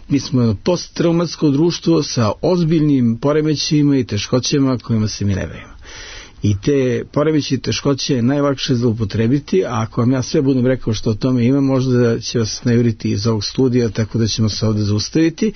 mi smo jedno posttraumatsko društvo sa ozbiljnim poremećajima i teškoćama kojima se mi ne bavimo. I te poremeći teškoće je najlakše zloupotrebiti, a ako vam ja sve budem rekao što o tome ima, možda će vas najuriti iz ovog studija, tako da ćemo se ovde zaustaviti,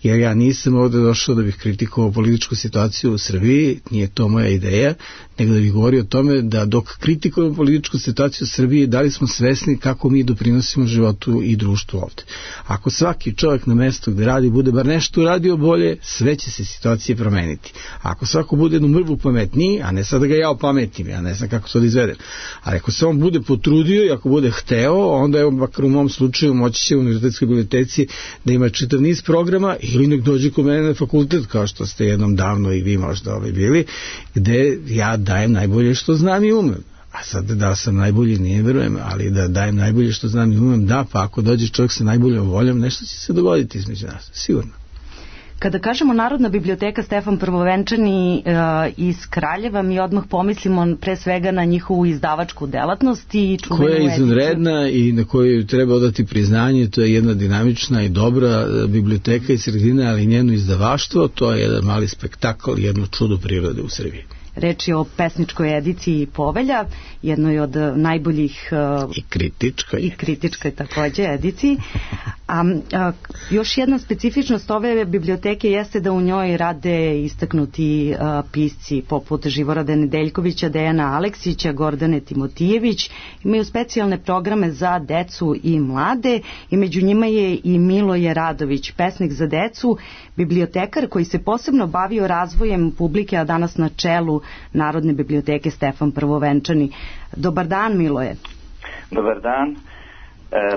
jer ja nisam ovde došao da bih kritikovao političku situaciju u Srbiji, nije to moja ideja, nego da bih govorio o tome da dok kritikujemo političku situaciju u Srbiji, da li smo svesni kako mi doprinosimo životu i društvu ovde. Ako svaki čovjek na mestu gde radi bude bar nešto uradio bolje, sve će se situacije promeniti. Ako svako bude jednu mrvu pametniji, a ne sad da ga ja opametim, ja ne znam kako to da izvedem, ali ako se on bude potrudio i ako bude hteo, onda evo, makar u mom slučaju, moći će u univerzitetskoj biblioteci da ima čitav niz programa ili nek dođe kod mene na fakultet, kao što ste jednom davno i vi možda bili, gde ja dajem najbolje što znam i umem. A sad da sam najbolji nije verujem, ali da dajem najbolje što znam i umem, da, pa ako dođe čovjek sa najboljom voljom, nešto će se dogoditi između nas, sigurno. Kada kažemo Narodna biblioteka Stefan Prvovenčani iz Kraljeva, mi odmah pomislimo pre svega na njihovu izdavačku delatnost i koja je izvanredna i na koju treba odati priznanje. To je jedna dinamična i dobra biblioteka iz sredine, ali njeno izdavaštvo, to je jedan mali spektakl, jedno čudo prirode u Srbiji. Reč je o pesničkoj ediciji Povelja, jednoj od najboljih i kritičkoj takođe ediciji. Još jedna specifičnost ove biblioteke jeste da u njoj rade istaknuti pisci poput Živorada Nedeljkovića, Dejana Aleksića, Gordane Timotijević. Imaju specijalne programe za decu i mlade i među njima je i Miloje Radović, pesnik za decu, bibliotekar koji se posebno bavio razvojem publike, a danas na čelu Narodne biblioteke Stefan Prvovenčani. Dobar dan, Miloje. Dobar dan.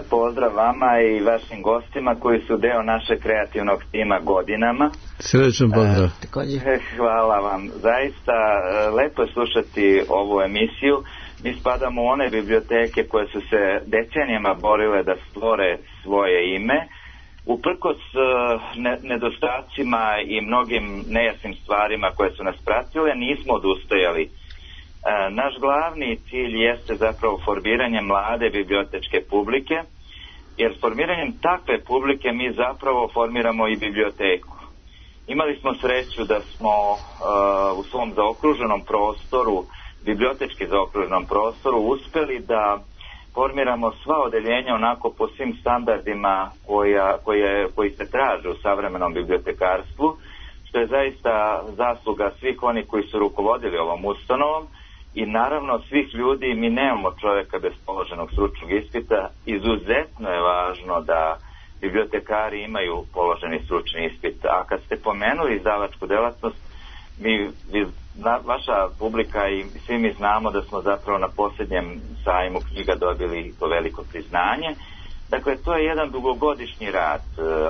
Pozdrav vama i vašim gostima koji su deo našeg kreativnog tima godinama. Srećan pozdrav. Hvala vam. Zaista lepo je slušati ovu emisiju. Mi spadamo u one biblioteke koje su se decenijama borile da stvore svoje ime. Uprkos nedostacima i mnogim nejasnim stvarima koje su nas pratile, nismo odustajali. Naš glavni cilj jeste zapravo formiranje mlade bibliotečke publike, jer formiranjem takve publike mi zapravo formiramo i biblioteku. Imali smo sreću da smo u svom zaokruženom prostoru, bibliotečki zaokruženom prostoru, uspeli da formiramo sva odeljenja onako po svim standardima koji se traže u savremenom bibliotekarstvu, što je zaista zasluga svih onih koji su rukovodili ovom ustanovom i naravno svih ljudi. Mi nemamo čovjeka bez položenog stručnog ispita. Izuzetno je važno da bibliotekari imaju položeni stručni ispit. A kad ste pomenuli izdavačku delatnost, vaša publika i svi mi znamo da smo zapravo na posljednjem sajmu knjiga dobili to veliko priznanje. Dakle, to je jedan dugogodišnji rad.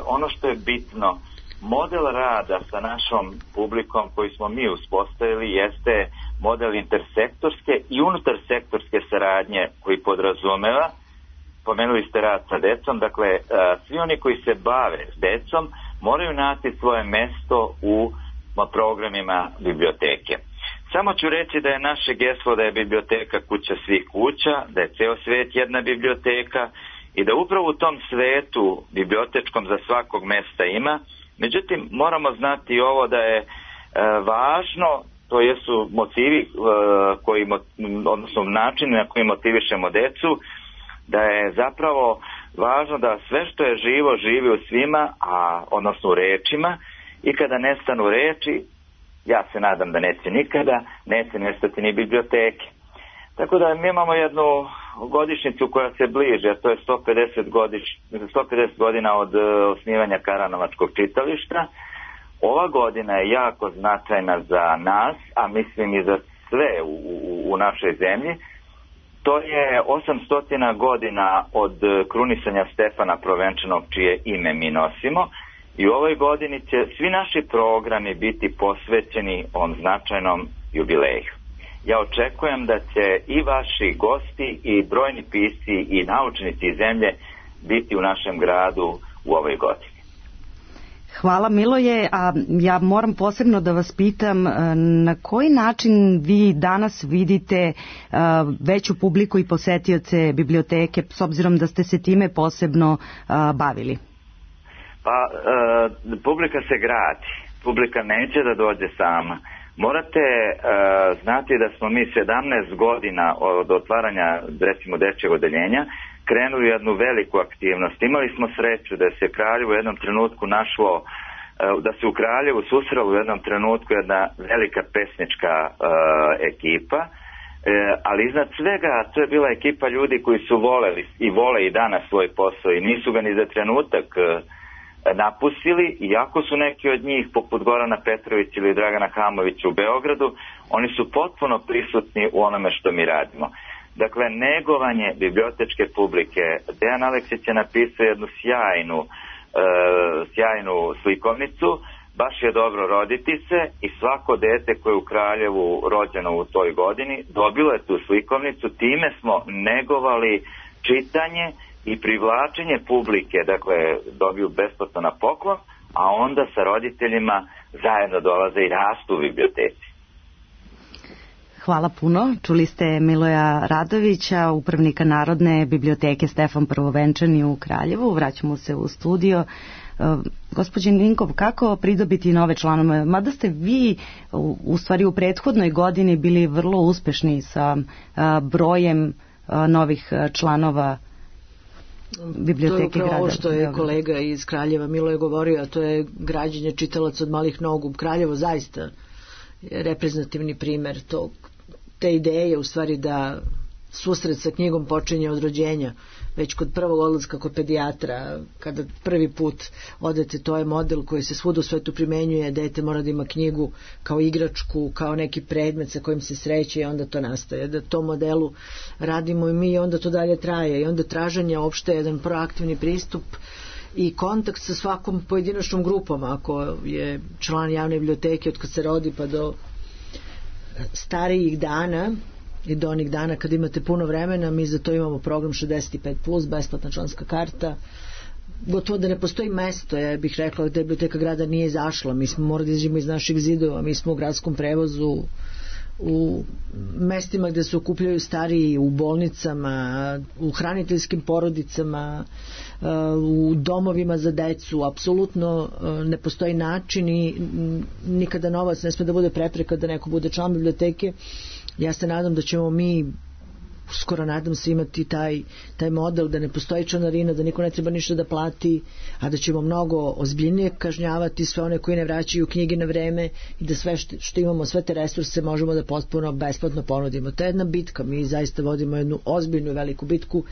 Ono što je bitno, model rada sa našom publikom koji smo mi uspostavili jeste model intersektorske i unutarsektorske saradnje koji podrazumeva, pomenuli ste rad sa decom, dakle svi oni koji se bave s decom moraju naći svoje mesto u programima biblioteke. Samo ću reći da je naše geslo da je biblioteka kuća svih kuća, da je ceo svet jedna biblioteka i da upravo u tom svetu bibliotečkom za svakog mesta ima. Međutim, moramo znati ovo da je važno, to jesu motivi odnosno načini na koji motivišemo decu, da je zapravo važno da sve što je živo živi u svima, odnosno u rečima, i kada nestanu reči, ja se nadam da neće nikada, neće nestati ni biblioteke. Tako da mi imamo jednu godišnjicu koja se bliže, a to je 150 godina od osnivanja Karanovačkog čitališta. Ova godina je jako značajna za nas, a mislim i za sve u našoj zemlji. To je 800 godina od krunisanja Stefana Provenčanog, čije ime mi nosimo, i u ovoj godini će svi naši programi biti posvećeni ovom značajnom jubileju. Ja očekujem da će i vaši gosti i brojni pisci i naučnici iz zemlje biti u našem gradu u ovoj godini. Hvala Miloje, a ja moram posebno da vas pitam na koji način vi danas vidite veću publiku i posetioce biblioteke, s obzirom da ste se time posebno bavili? Pa, publika se gradi, publika neće da dođe sama. Morate znati da smo mi 17 godina od otvaranja, recimo, dečjeg odeljenja krenuli jednu veliku aktivnost. Imali smo sreću da se Kraljevo u jednom trenutku našlo, da se u Kraljevu susrela u jednom trenutku jedna velika pesnička ekipa, ali iznad svega to je bila ekipa ljudi koji su voleli i vole i danas svoj posao i nisu ga ni za trenutak napustili, iako su neki od njih poput Gorana Petrovića ili Dragana Hamovića u Beogradu, oni su potpuno prisutni u onome što mi radimo. Dakle, negovanje bibliotečke publike. Dejan Aleksić je napisao jednu sjajnu slikovnicu, baš je dobro roditi se, i svako dete koje je u Kraljevu rođeno u toj godini dobilo je tu slikovnicu. Time smo negovali čitanje i privlačenje publike, dakle dobiju besplatno na poklon, a onda sa roditeljima zajedno dolaze i rastu u biblioteci. Hvala puno. Čuli ste Miloja Radovića, upravnika Narodne biblioteke Stefan Prvovenčani u Kraljevu. Vraćamo se u studio. Gospođin Vinkov, kako pridobiti nove članove? Mada ste vi u stvari u prethodnoj godini bili vrlo uspešni sa brojem novih članova biblioteke grada. To je upravo ovo što je kolega iz Kraljeva Milo je govorio, a to je građenje čitalaca od malih nogu. Kraljevo zaista je reprezentativni primer te ideje, u stvari da susret sa knjigom počinje od rođenja, već kod prvog odlaska kod pedijatra, kada prvi put odete, to je model koji se svuda u svetu primenjuje. Dete mora da ima knjigu kao igračku, kao neki predmet sa kojim se sreće, i onda to nastaje. Da to modelu radimo i mi, i onda to dalje traje, i onda traženje opšte jedan proaktivni pristup i kontakt sa svakom pojedinačnom grupom. Ako je član javne biblioteke od kad se rodi pa do starijih dana i do onih dana kad imate puno vremena, mi za to imamo program 65+, besplatna članska karta. Gotovo da ne postoji mesto, ja bih rekla, da biblioteka grada nije izašla. Mi smo morali da izađemo iz naših zidova, mi smo u gradskom prevozu, u mestima gde se okupljaju stariji, u bolnicama, u hraniteljskim porodicama, u domovima za decu. Apsolutno ne postoji način i nikada novac ne sme da bude prepreka da neko bude član biblioteke. Ja se nadam da ćemo mi skoro nadam se imati taj model da ne postoji članarina, da niko ne treba ništa da plati, a da ćemo mnogo ozbiljnije kažnjavati sve one koji ne vraćaju knjige na vreme i da sve što imamo, sve te resurse možemo da potpuno besplatno ponudimo. To je jedna bitka, mi zaista vodimo jednu ozbiljnu veliku bitku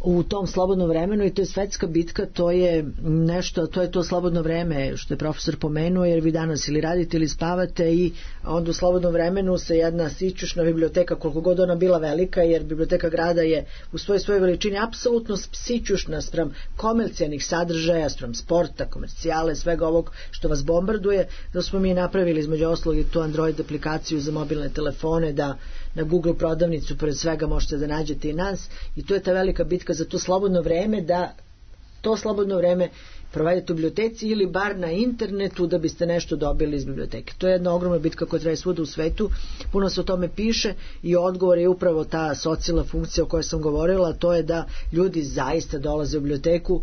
u tom slobodnom vremenu i to je svetska bitka, to je nešto, to je to slobodno vreme što je profesor pomenuo, jer vi danas ili radite ili spavate i onda u slobodnom vremenu se jedna sićušna biblioteka, koliko god ona bila velika, jer biblioteka grada je u svojoj veličini apsolutno sićušna spram komercijalnih sadržaja, spram sporta, komercijale, svega ovog što vas bombarduje, da smo mi napravili između ostalog i tu Android aplikaciju za mobilne telefone, da na Google prodavnicu pored svega možete da nađete i nas i to je ta velika bitka za to slobodno vreme, da to slobodno vreme provedete u biblioteci ili bar na internetu da biste nešto dobili iz biblioteke. To je jedna ogromna bitka koja traje svuda u svetu, puno se o tome piše i odgovor je upravo ta socijalna funkcija o kojoj sam govorila, to je da ljudi zaista dolaze u biblioteku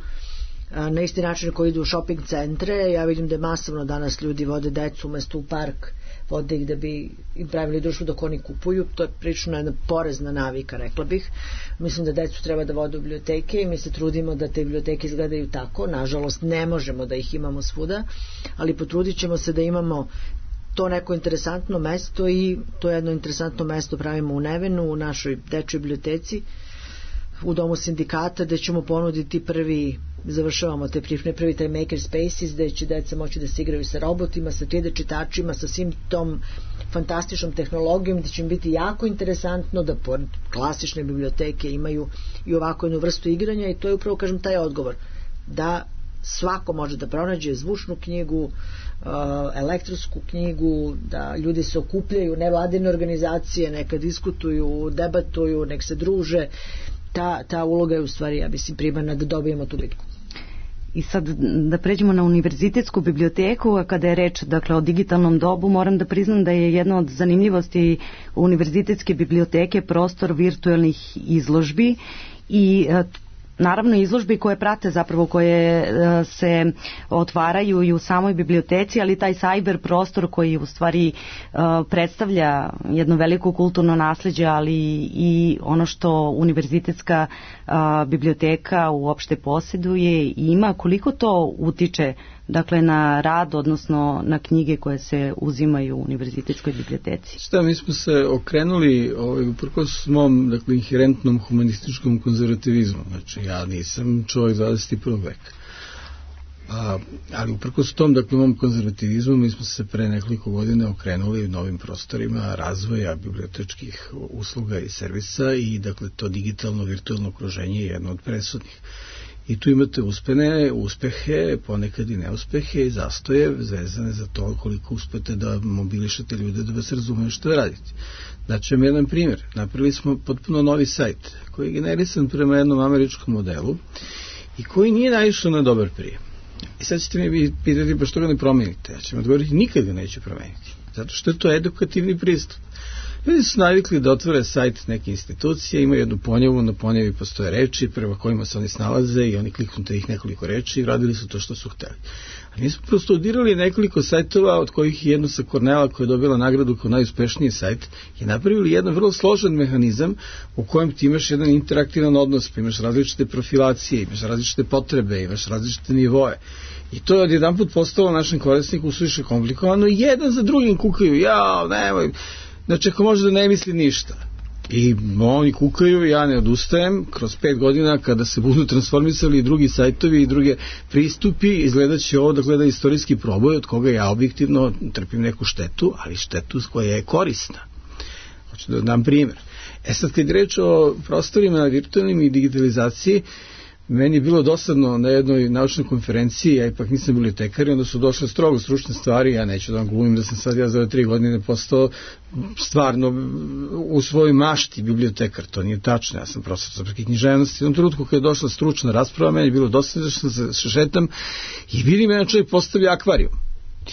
na isti način koji idu u shopping centre. Ja vidim da je masovno danas ljudi vode decu umesto u park, vode ih da bi im pravili društvo dok oni kupuju. To je prilično jedna porezna navika, rekla bih. Mislim da decu treba da vode u biblioteke i mi se trudimo da te biblioteke izgledaju tako. Nažalost ne možemo da ih imamo svuda, ali potrudit ćemo se da imamo to neko interesantno mesto i to jedno interesantno mesto pravimo u Nevenu, u našoj dečjoj biblioteci, u domu sindikata, gde ćemo ponuditi završavamo te prvi taj maker spaces, gde će deca moći da se igraju sa robotima, sa 3D čitačima, sa svim tom fantastičnom tehnologijom, gde će im biti jako interesantno da pored klasične biblioteke imaju i ovako jednu vrstu igranja i to je upravo, kažem, taj odgovor, da svako može da pronađe zvučnu knjigu, elektronsku knjigu, da ljudi se okupljaju, nevladine organizacije, neka diskutuju, debatuju, nek se druže. Ta uloga je u stvari, ja mislim, primarna da dobijemo tu bitku. I sad da pređemo na univerzitetsku biblioteku, a kada je reč o digitalnom dobu, moram da priznam da je jedna od zanimljivosti univerzitetske biblioteke prostor virtualnih izložbi i naravno izložbi koje prate zapravo, koje se otvaraju i u samoj biblioteci, ali taj cyber prostor koji u stvari predstavlja jedno veliko kulturno nasleđe, ali i ono što univerzitetska biblioteka uopšte posjeduje i ima, koliko to utiče na rad, odnosno na knjige koje se uzimaju u univerzitetskoj biblioteci? Mi smo se okrenuli uprkos mom inherentnom humanističkom konzervativizmu. Znači, ja nisam čovjek 21. veka. Ali uprkos tom, mom konzervativizmu, mi smo se pre nekoliko godina okrenuli novim prostorima razvoja bibliotečkih usluga i servisa i to digitalno virtualno okruženje je jedno od presudnih. I tu imate uspehe, ponekad i neuspehe i zastoje vezane za to koliko uspete da mobilišete ljude da vas razumeju što da radite. Daću vam jedan primjer. Napravili smo potpuno novi sajt koji je generisan prema jednom američkom modelu i koji nije naišao na dobar prijem. I sad ćete mi pitati pa što ga ne promenite. Ja ću vam odgovoriti, nikad ga neću promeniti. Zato što je to edukativni pristup. Ljudi su navikli da otvore sajt neke institucije, imaju jednu ponjavu, na ponjavi postoje reči prema kojima se oni snalaze i oni kliknute ih nekoliko reči i radili su to što su hteli. A mi smo prostudirali nekoliko sajtova, od kojih jedno sa Kornela koja je dobila nagradu kao najuspešniji sajt, i napravili jedan vrlo složen mehanizam u kojem ti imaš jedan interaktivan odnos, pa imaš različite profilacije, imaš različite potrebe, imaš različite nivoe. I to je odjedanput postalo našem korisniku suviše komplikovano i jedan za drugim kukaju, nemoj, znači ako može da ne misli ništa. I oni kukaju, ja ne odustajem, kroz 5 godina kada se budu transformisali i drugi sajtovi i druge pristupi, izgledat će ovo da istorijski proboj od koga ja objektivno trpim neku štetu, ali štetu koja je korisna. Hoću da dam primjer. Sad kad je reč o prostorima virtualnim i digitalizaciji, meni je bilo dosadno na jednoj naučnoj konferenciji, ja ipak nisam bibliotekar, i onda su došle strogo stručne stvari, ja neću da vam glumim da sam sad ja za 3 godine postao stvarno u svojoj mašti bibliotekar, to nije tačno, ja sam profesor srpske književnosti. U jednom trenutku kada je došla stručna rasprava, meni je bilo dosadno da se šetam i vidim jedan čovjek postavlja akvarijum.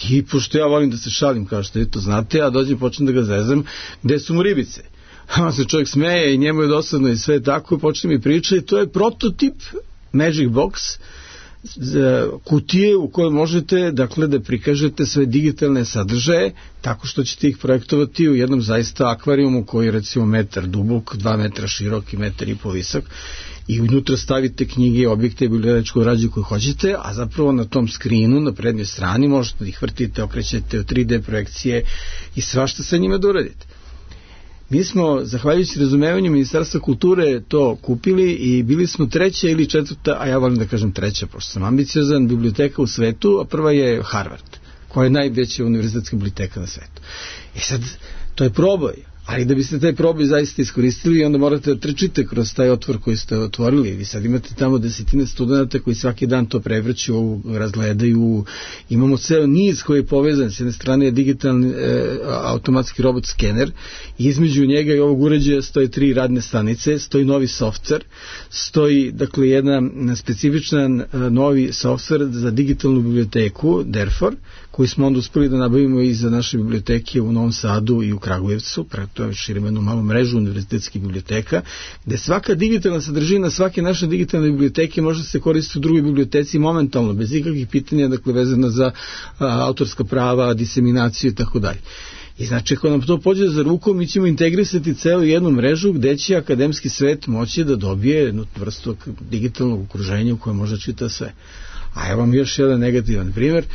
I pošto ja volim da se šalim, kao što vi to znate, ja dođem i počnem da ga zezam, gde su mu ribice? On se čovjek smeje i njemu je dosadno i sve tako, počne mi priča i to je prototip Magic Box kutije u kojoj možete, dakle, da prikažete sve digitalne sadržaje tako što ćete ih projektovati u jednom zaista akvarijumu koji je recimo metar dubok, 2 metra širok i 1,5 metra visok, i unutra stavite knjige, objekte i bibliotečku građu koju hoćete, a zapravo na tom skrinu, na prednjoj strani, možete da ih vrtite, okrećete u 3D projekcije i svašta sa njima da uradite. Mi smo, zahvaljujući razumevanju Ministarstva kulture, to kupili i bili smo 3. ili 4., a ja volim da kažem 3., pošto sam ambiciozan, biblioteka u svetu, a prva je Harvard, koja je najveća univerzitetska biblioteka na svetu. I sad, to je proboj, ali da biste taj proboj zaista iskoristili, onda morate da trčite kroz taj otvor koji ste otvorili. Vi sad imate tamo 10 studenta koji svaki dan to prevrću, razgledaju. Imamo ceo niz koji je povezan. S jedne strane je digitalni automatski robot skener, i između njega i ovog uređaja stoji 3 radne stanice, stoji novi softver, stoji, dakle, jedna specifičan novi softver za digitalnu biblioteku, Derfor, koji smo onda uspeli da nabavimo i za naše biblioteke u Novom Sadu i u Kragujevcu. To širimo jednu malu mrežu univerzitetskih biblioteka, gde svaka digitalna sadržina svake naše digitalne biblioteke može se koristiti u drugoj biblioteci momentalno, bez ikakvih pitanja, dakle, vezana za autorska prava, diseminaciju i tako dalje. I znači, ako nam to pođe za rukom, mi ćemo integrisati celu jednu mrežu gde će akademski svet moći da dobije jednu vrstu digitalnog okruženja u kojem može čita sve. A evo vam još jedan negativan primjer.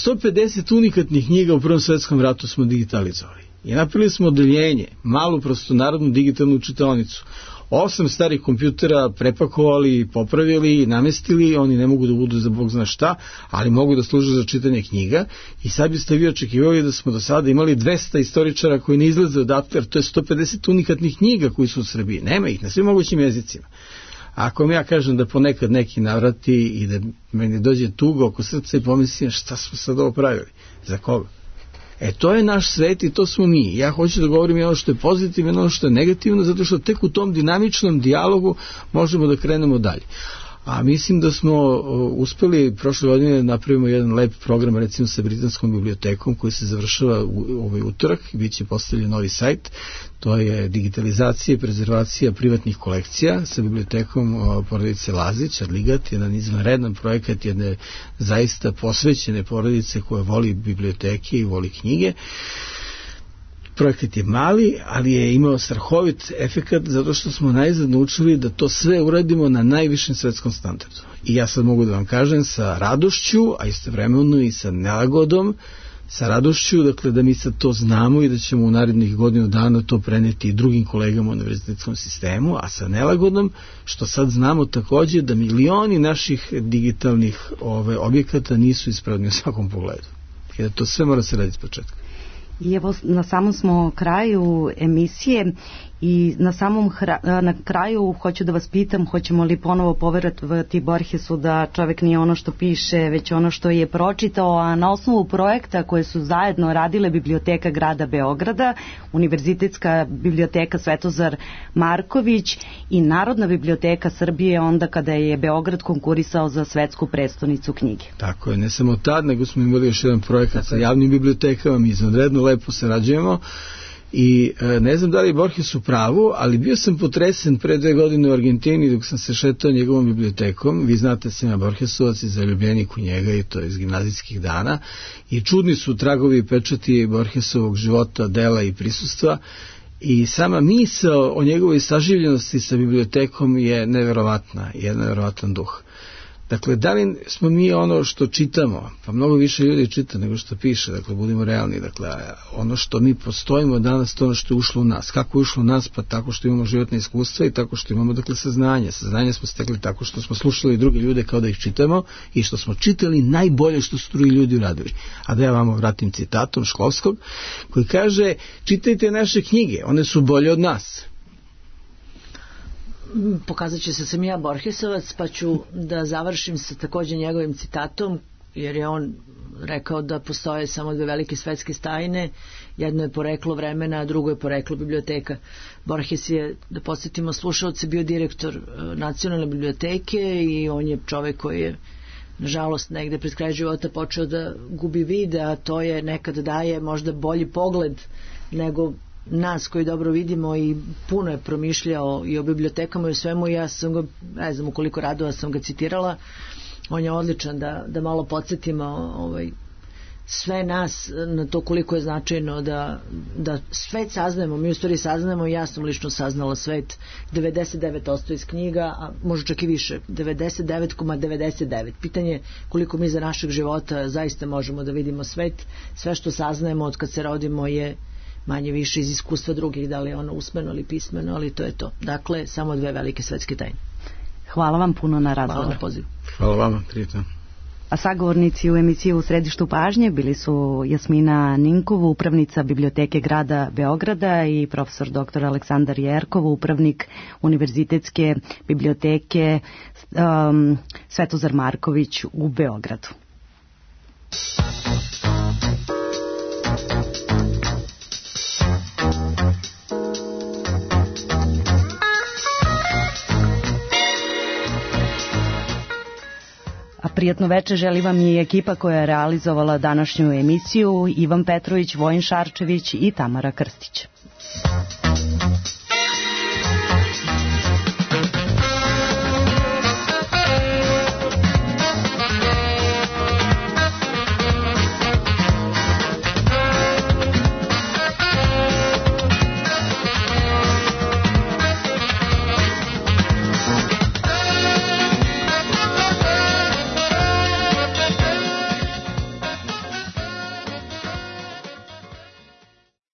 150 unikatnih knjiga u Prvom svetskom ratu smo digitalizovali. I napravili smo odeljenje, malu prostonarodnu digitalnu čitaonicu. 8 starih kompjutera prepakovali, popravili, namestili, oni ne mogu da budu za Bog zna šta, ali mogu da služe za čitanje knjiga. I sad biste vi očekivali da smo do sada imali 200 istoričara koji ne izlaze odatle, jer to je 150 unikatnih knjiga koji su u Srbiji. Nema ih na svim mogućim jezicima. Ako mi ja kažem da ponekad neki navrati i da meni dođe tuga oko srca i pomislim šta smo sad ovo pravili, za koga? To je naš svet i to smo mi. Ja hoću da govorim i ono što je pozitivno i ono što je negativno, zato što tek u tom dinamičnom dijalogu možemo da krenemo dalje. A mislim da smo uspeli prošle godine da napravimo jedan lep program, recimo sa Britanskom bibliotekom, koji se završava u ovaj utorak i bit će postavljen novi sajt. To je digitalizacija i prezervacija privatnih kolekcija sa bibliotekom porodice Lazić, Adligat, jedan izvanredan projekat jedne zaista posvećene porodice koja voli biblioteke i voli knjige. Projekat je mali, ali je imao strahovit efekat zato što smo najzad naučili da to sve uradimo na najvišem svetskom standardu. I ja sad mogu da vam kažem sa radošću, a istovremeno i sa nelagodom, sa radošću, dakle, da mi sad to znamo i da ćemo u narednih godinu dana to preneti i drugim kolegama u univerzitetskom sistemu, a sa nelagodom što sad znamo takođe da milioni naših digitalnih objekata nisu ispravni u svakom pogledu. I da to sve mora se raditi s početka. I evo, na samom smo kraju emisije i na kraju hoću da vas pitam, hoćemo li ponovo poverovati Borgesu da čovek nije ono što piše, već ono što je pročitao, a na osnovu projekta koje su zajedno radile Biblioteka grada Beograda, Univerzitetska biblioteka Svetozar Marković i Narodna biblioteka Srbije, onda kada je Beograd konkurisao za svetsku prestonicu knjige. Tako je, ne samo tad, nego smo imali još jedan projekat sa javnim bibliotekama, mi izvanredno lepo sarađujemo. I ne znam da li je Borges u pravu, ali bio sam potresen pre 2 godine u Argentini dok sam se šetao njegovom bibliotekom. Vi znate sam ja Borgesovac i zaljubljenik u njega, i to iz gimnazijskih dana, i čudni su tragovi i pečati Borgesovog života, dela i prisustva, i sama misao o njegovoj saživljenosti sa bibliotekom je neverovatna, je neverovatan duh. Dakle, da li smo mi ono što čitamo, pa mnogo više ljudi čita nego što piše, dakle, budimo realni, dakle, ono što mi postojimo danas, to ono što je ušlo u nas. Kako je ušlo u nas? Pa tako što imamo životne iskustva i tako što imamo, dakle, saznanje. Saznanje smo stekli tako što smo slušali druge ljude kao da ih čitamo i što smo čitali najbolje što su drugi ljudi uradili. A da ja vam vratim citatom Šklovskog, koji kaže, čitajte naše knjige, one su bolje od nas. Pokazat će se sam ja Borgesovac, pa ću da završim sa također njegovim citatom, jer je on rekao da postoje samo 2 velike svetske tajne, jedno je poreklo vremena, a drugo je poreklo biblioteka. Borges je, da podsjetimo slušalce, bio direktor Nacionalne biblioteke i on je čovek koji je, nažalost, negde pred kraj života počeo da gubi vid, a to je nekad daje možda bolji pogled nego nas koji dobro vidimo, i puno je promišljao i o bibliotekama i o svemu. Ja sam ga, ne znam u koliko radova sam ga citirala, On je odličan da malo podsjetimo sve nas na to koliko je značajno da svet saznajemo. Mi u stvari saznajemo, ja sam lično saznala svet 99% iz knjiga, a možda čak i više, 99,99. Pitanje koliko mi za našeg života zaista možemo da vidimo svet. Sve što saznajemo od kad se rodimo je manje više iz iskustva drugih, da li je ono usmeno ili pismeno, ali to je to. Dakle, samo 2 velike svetske tajne. Hvala vam puno na razgovoru. Hvala na pozivu. Hvala vama, prijatno. A sagovornici u emisiji U središtu pažnje bili su Jasmina Ninkov, upravnica Biblioteke grada Beograda, i profesor dr. Aleksandar Jerkov, upravnik Univerzitetske biblioteke Svetozar Marković u Beogradu. Prijatno večer želi vam i ekipa koja je realizovala današnju emisiju: Ivan Petrović, Vojin Šarčević i Tamara Krstić.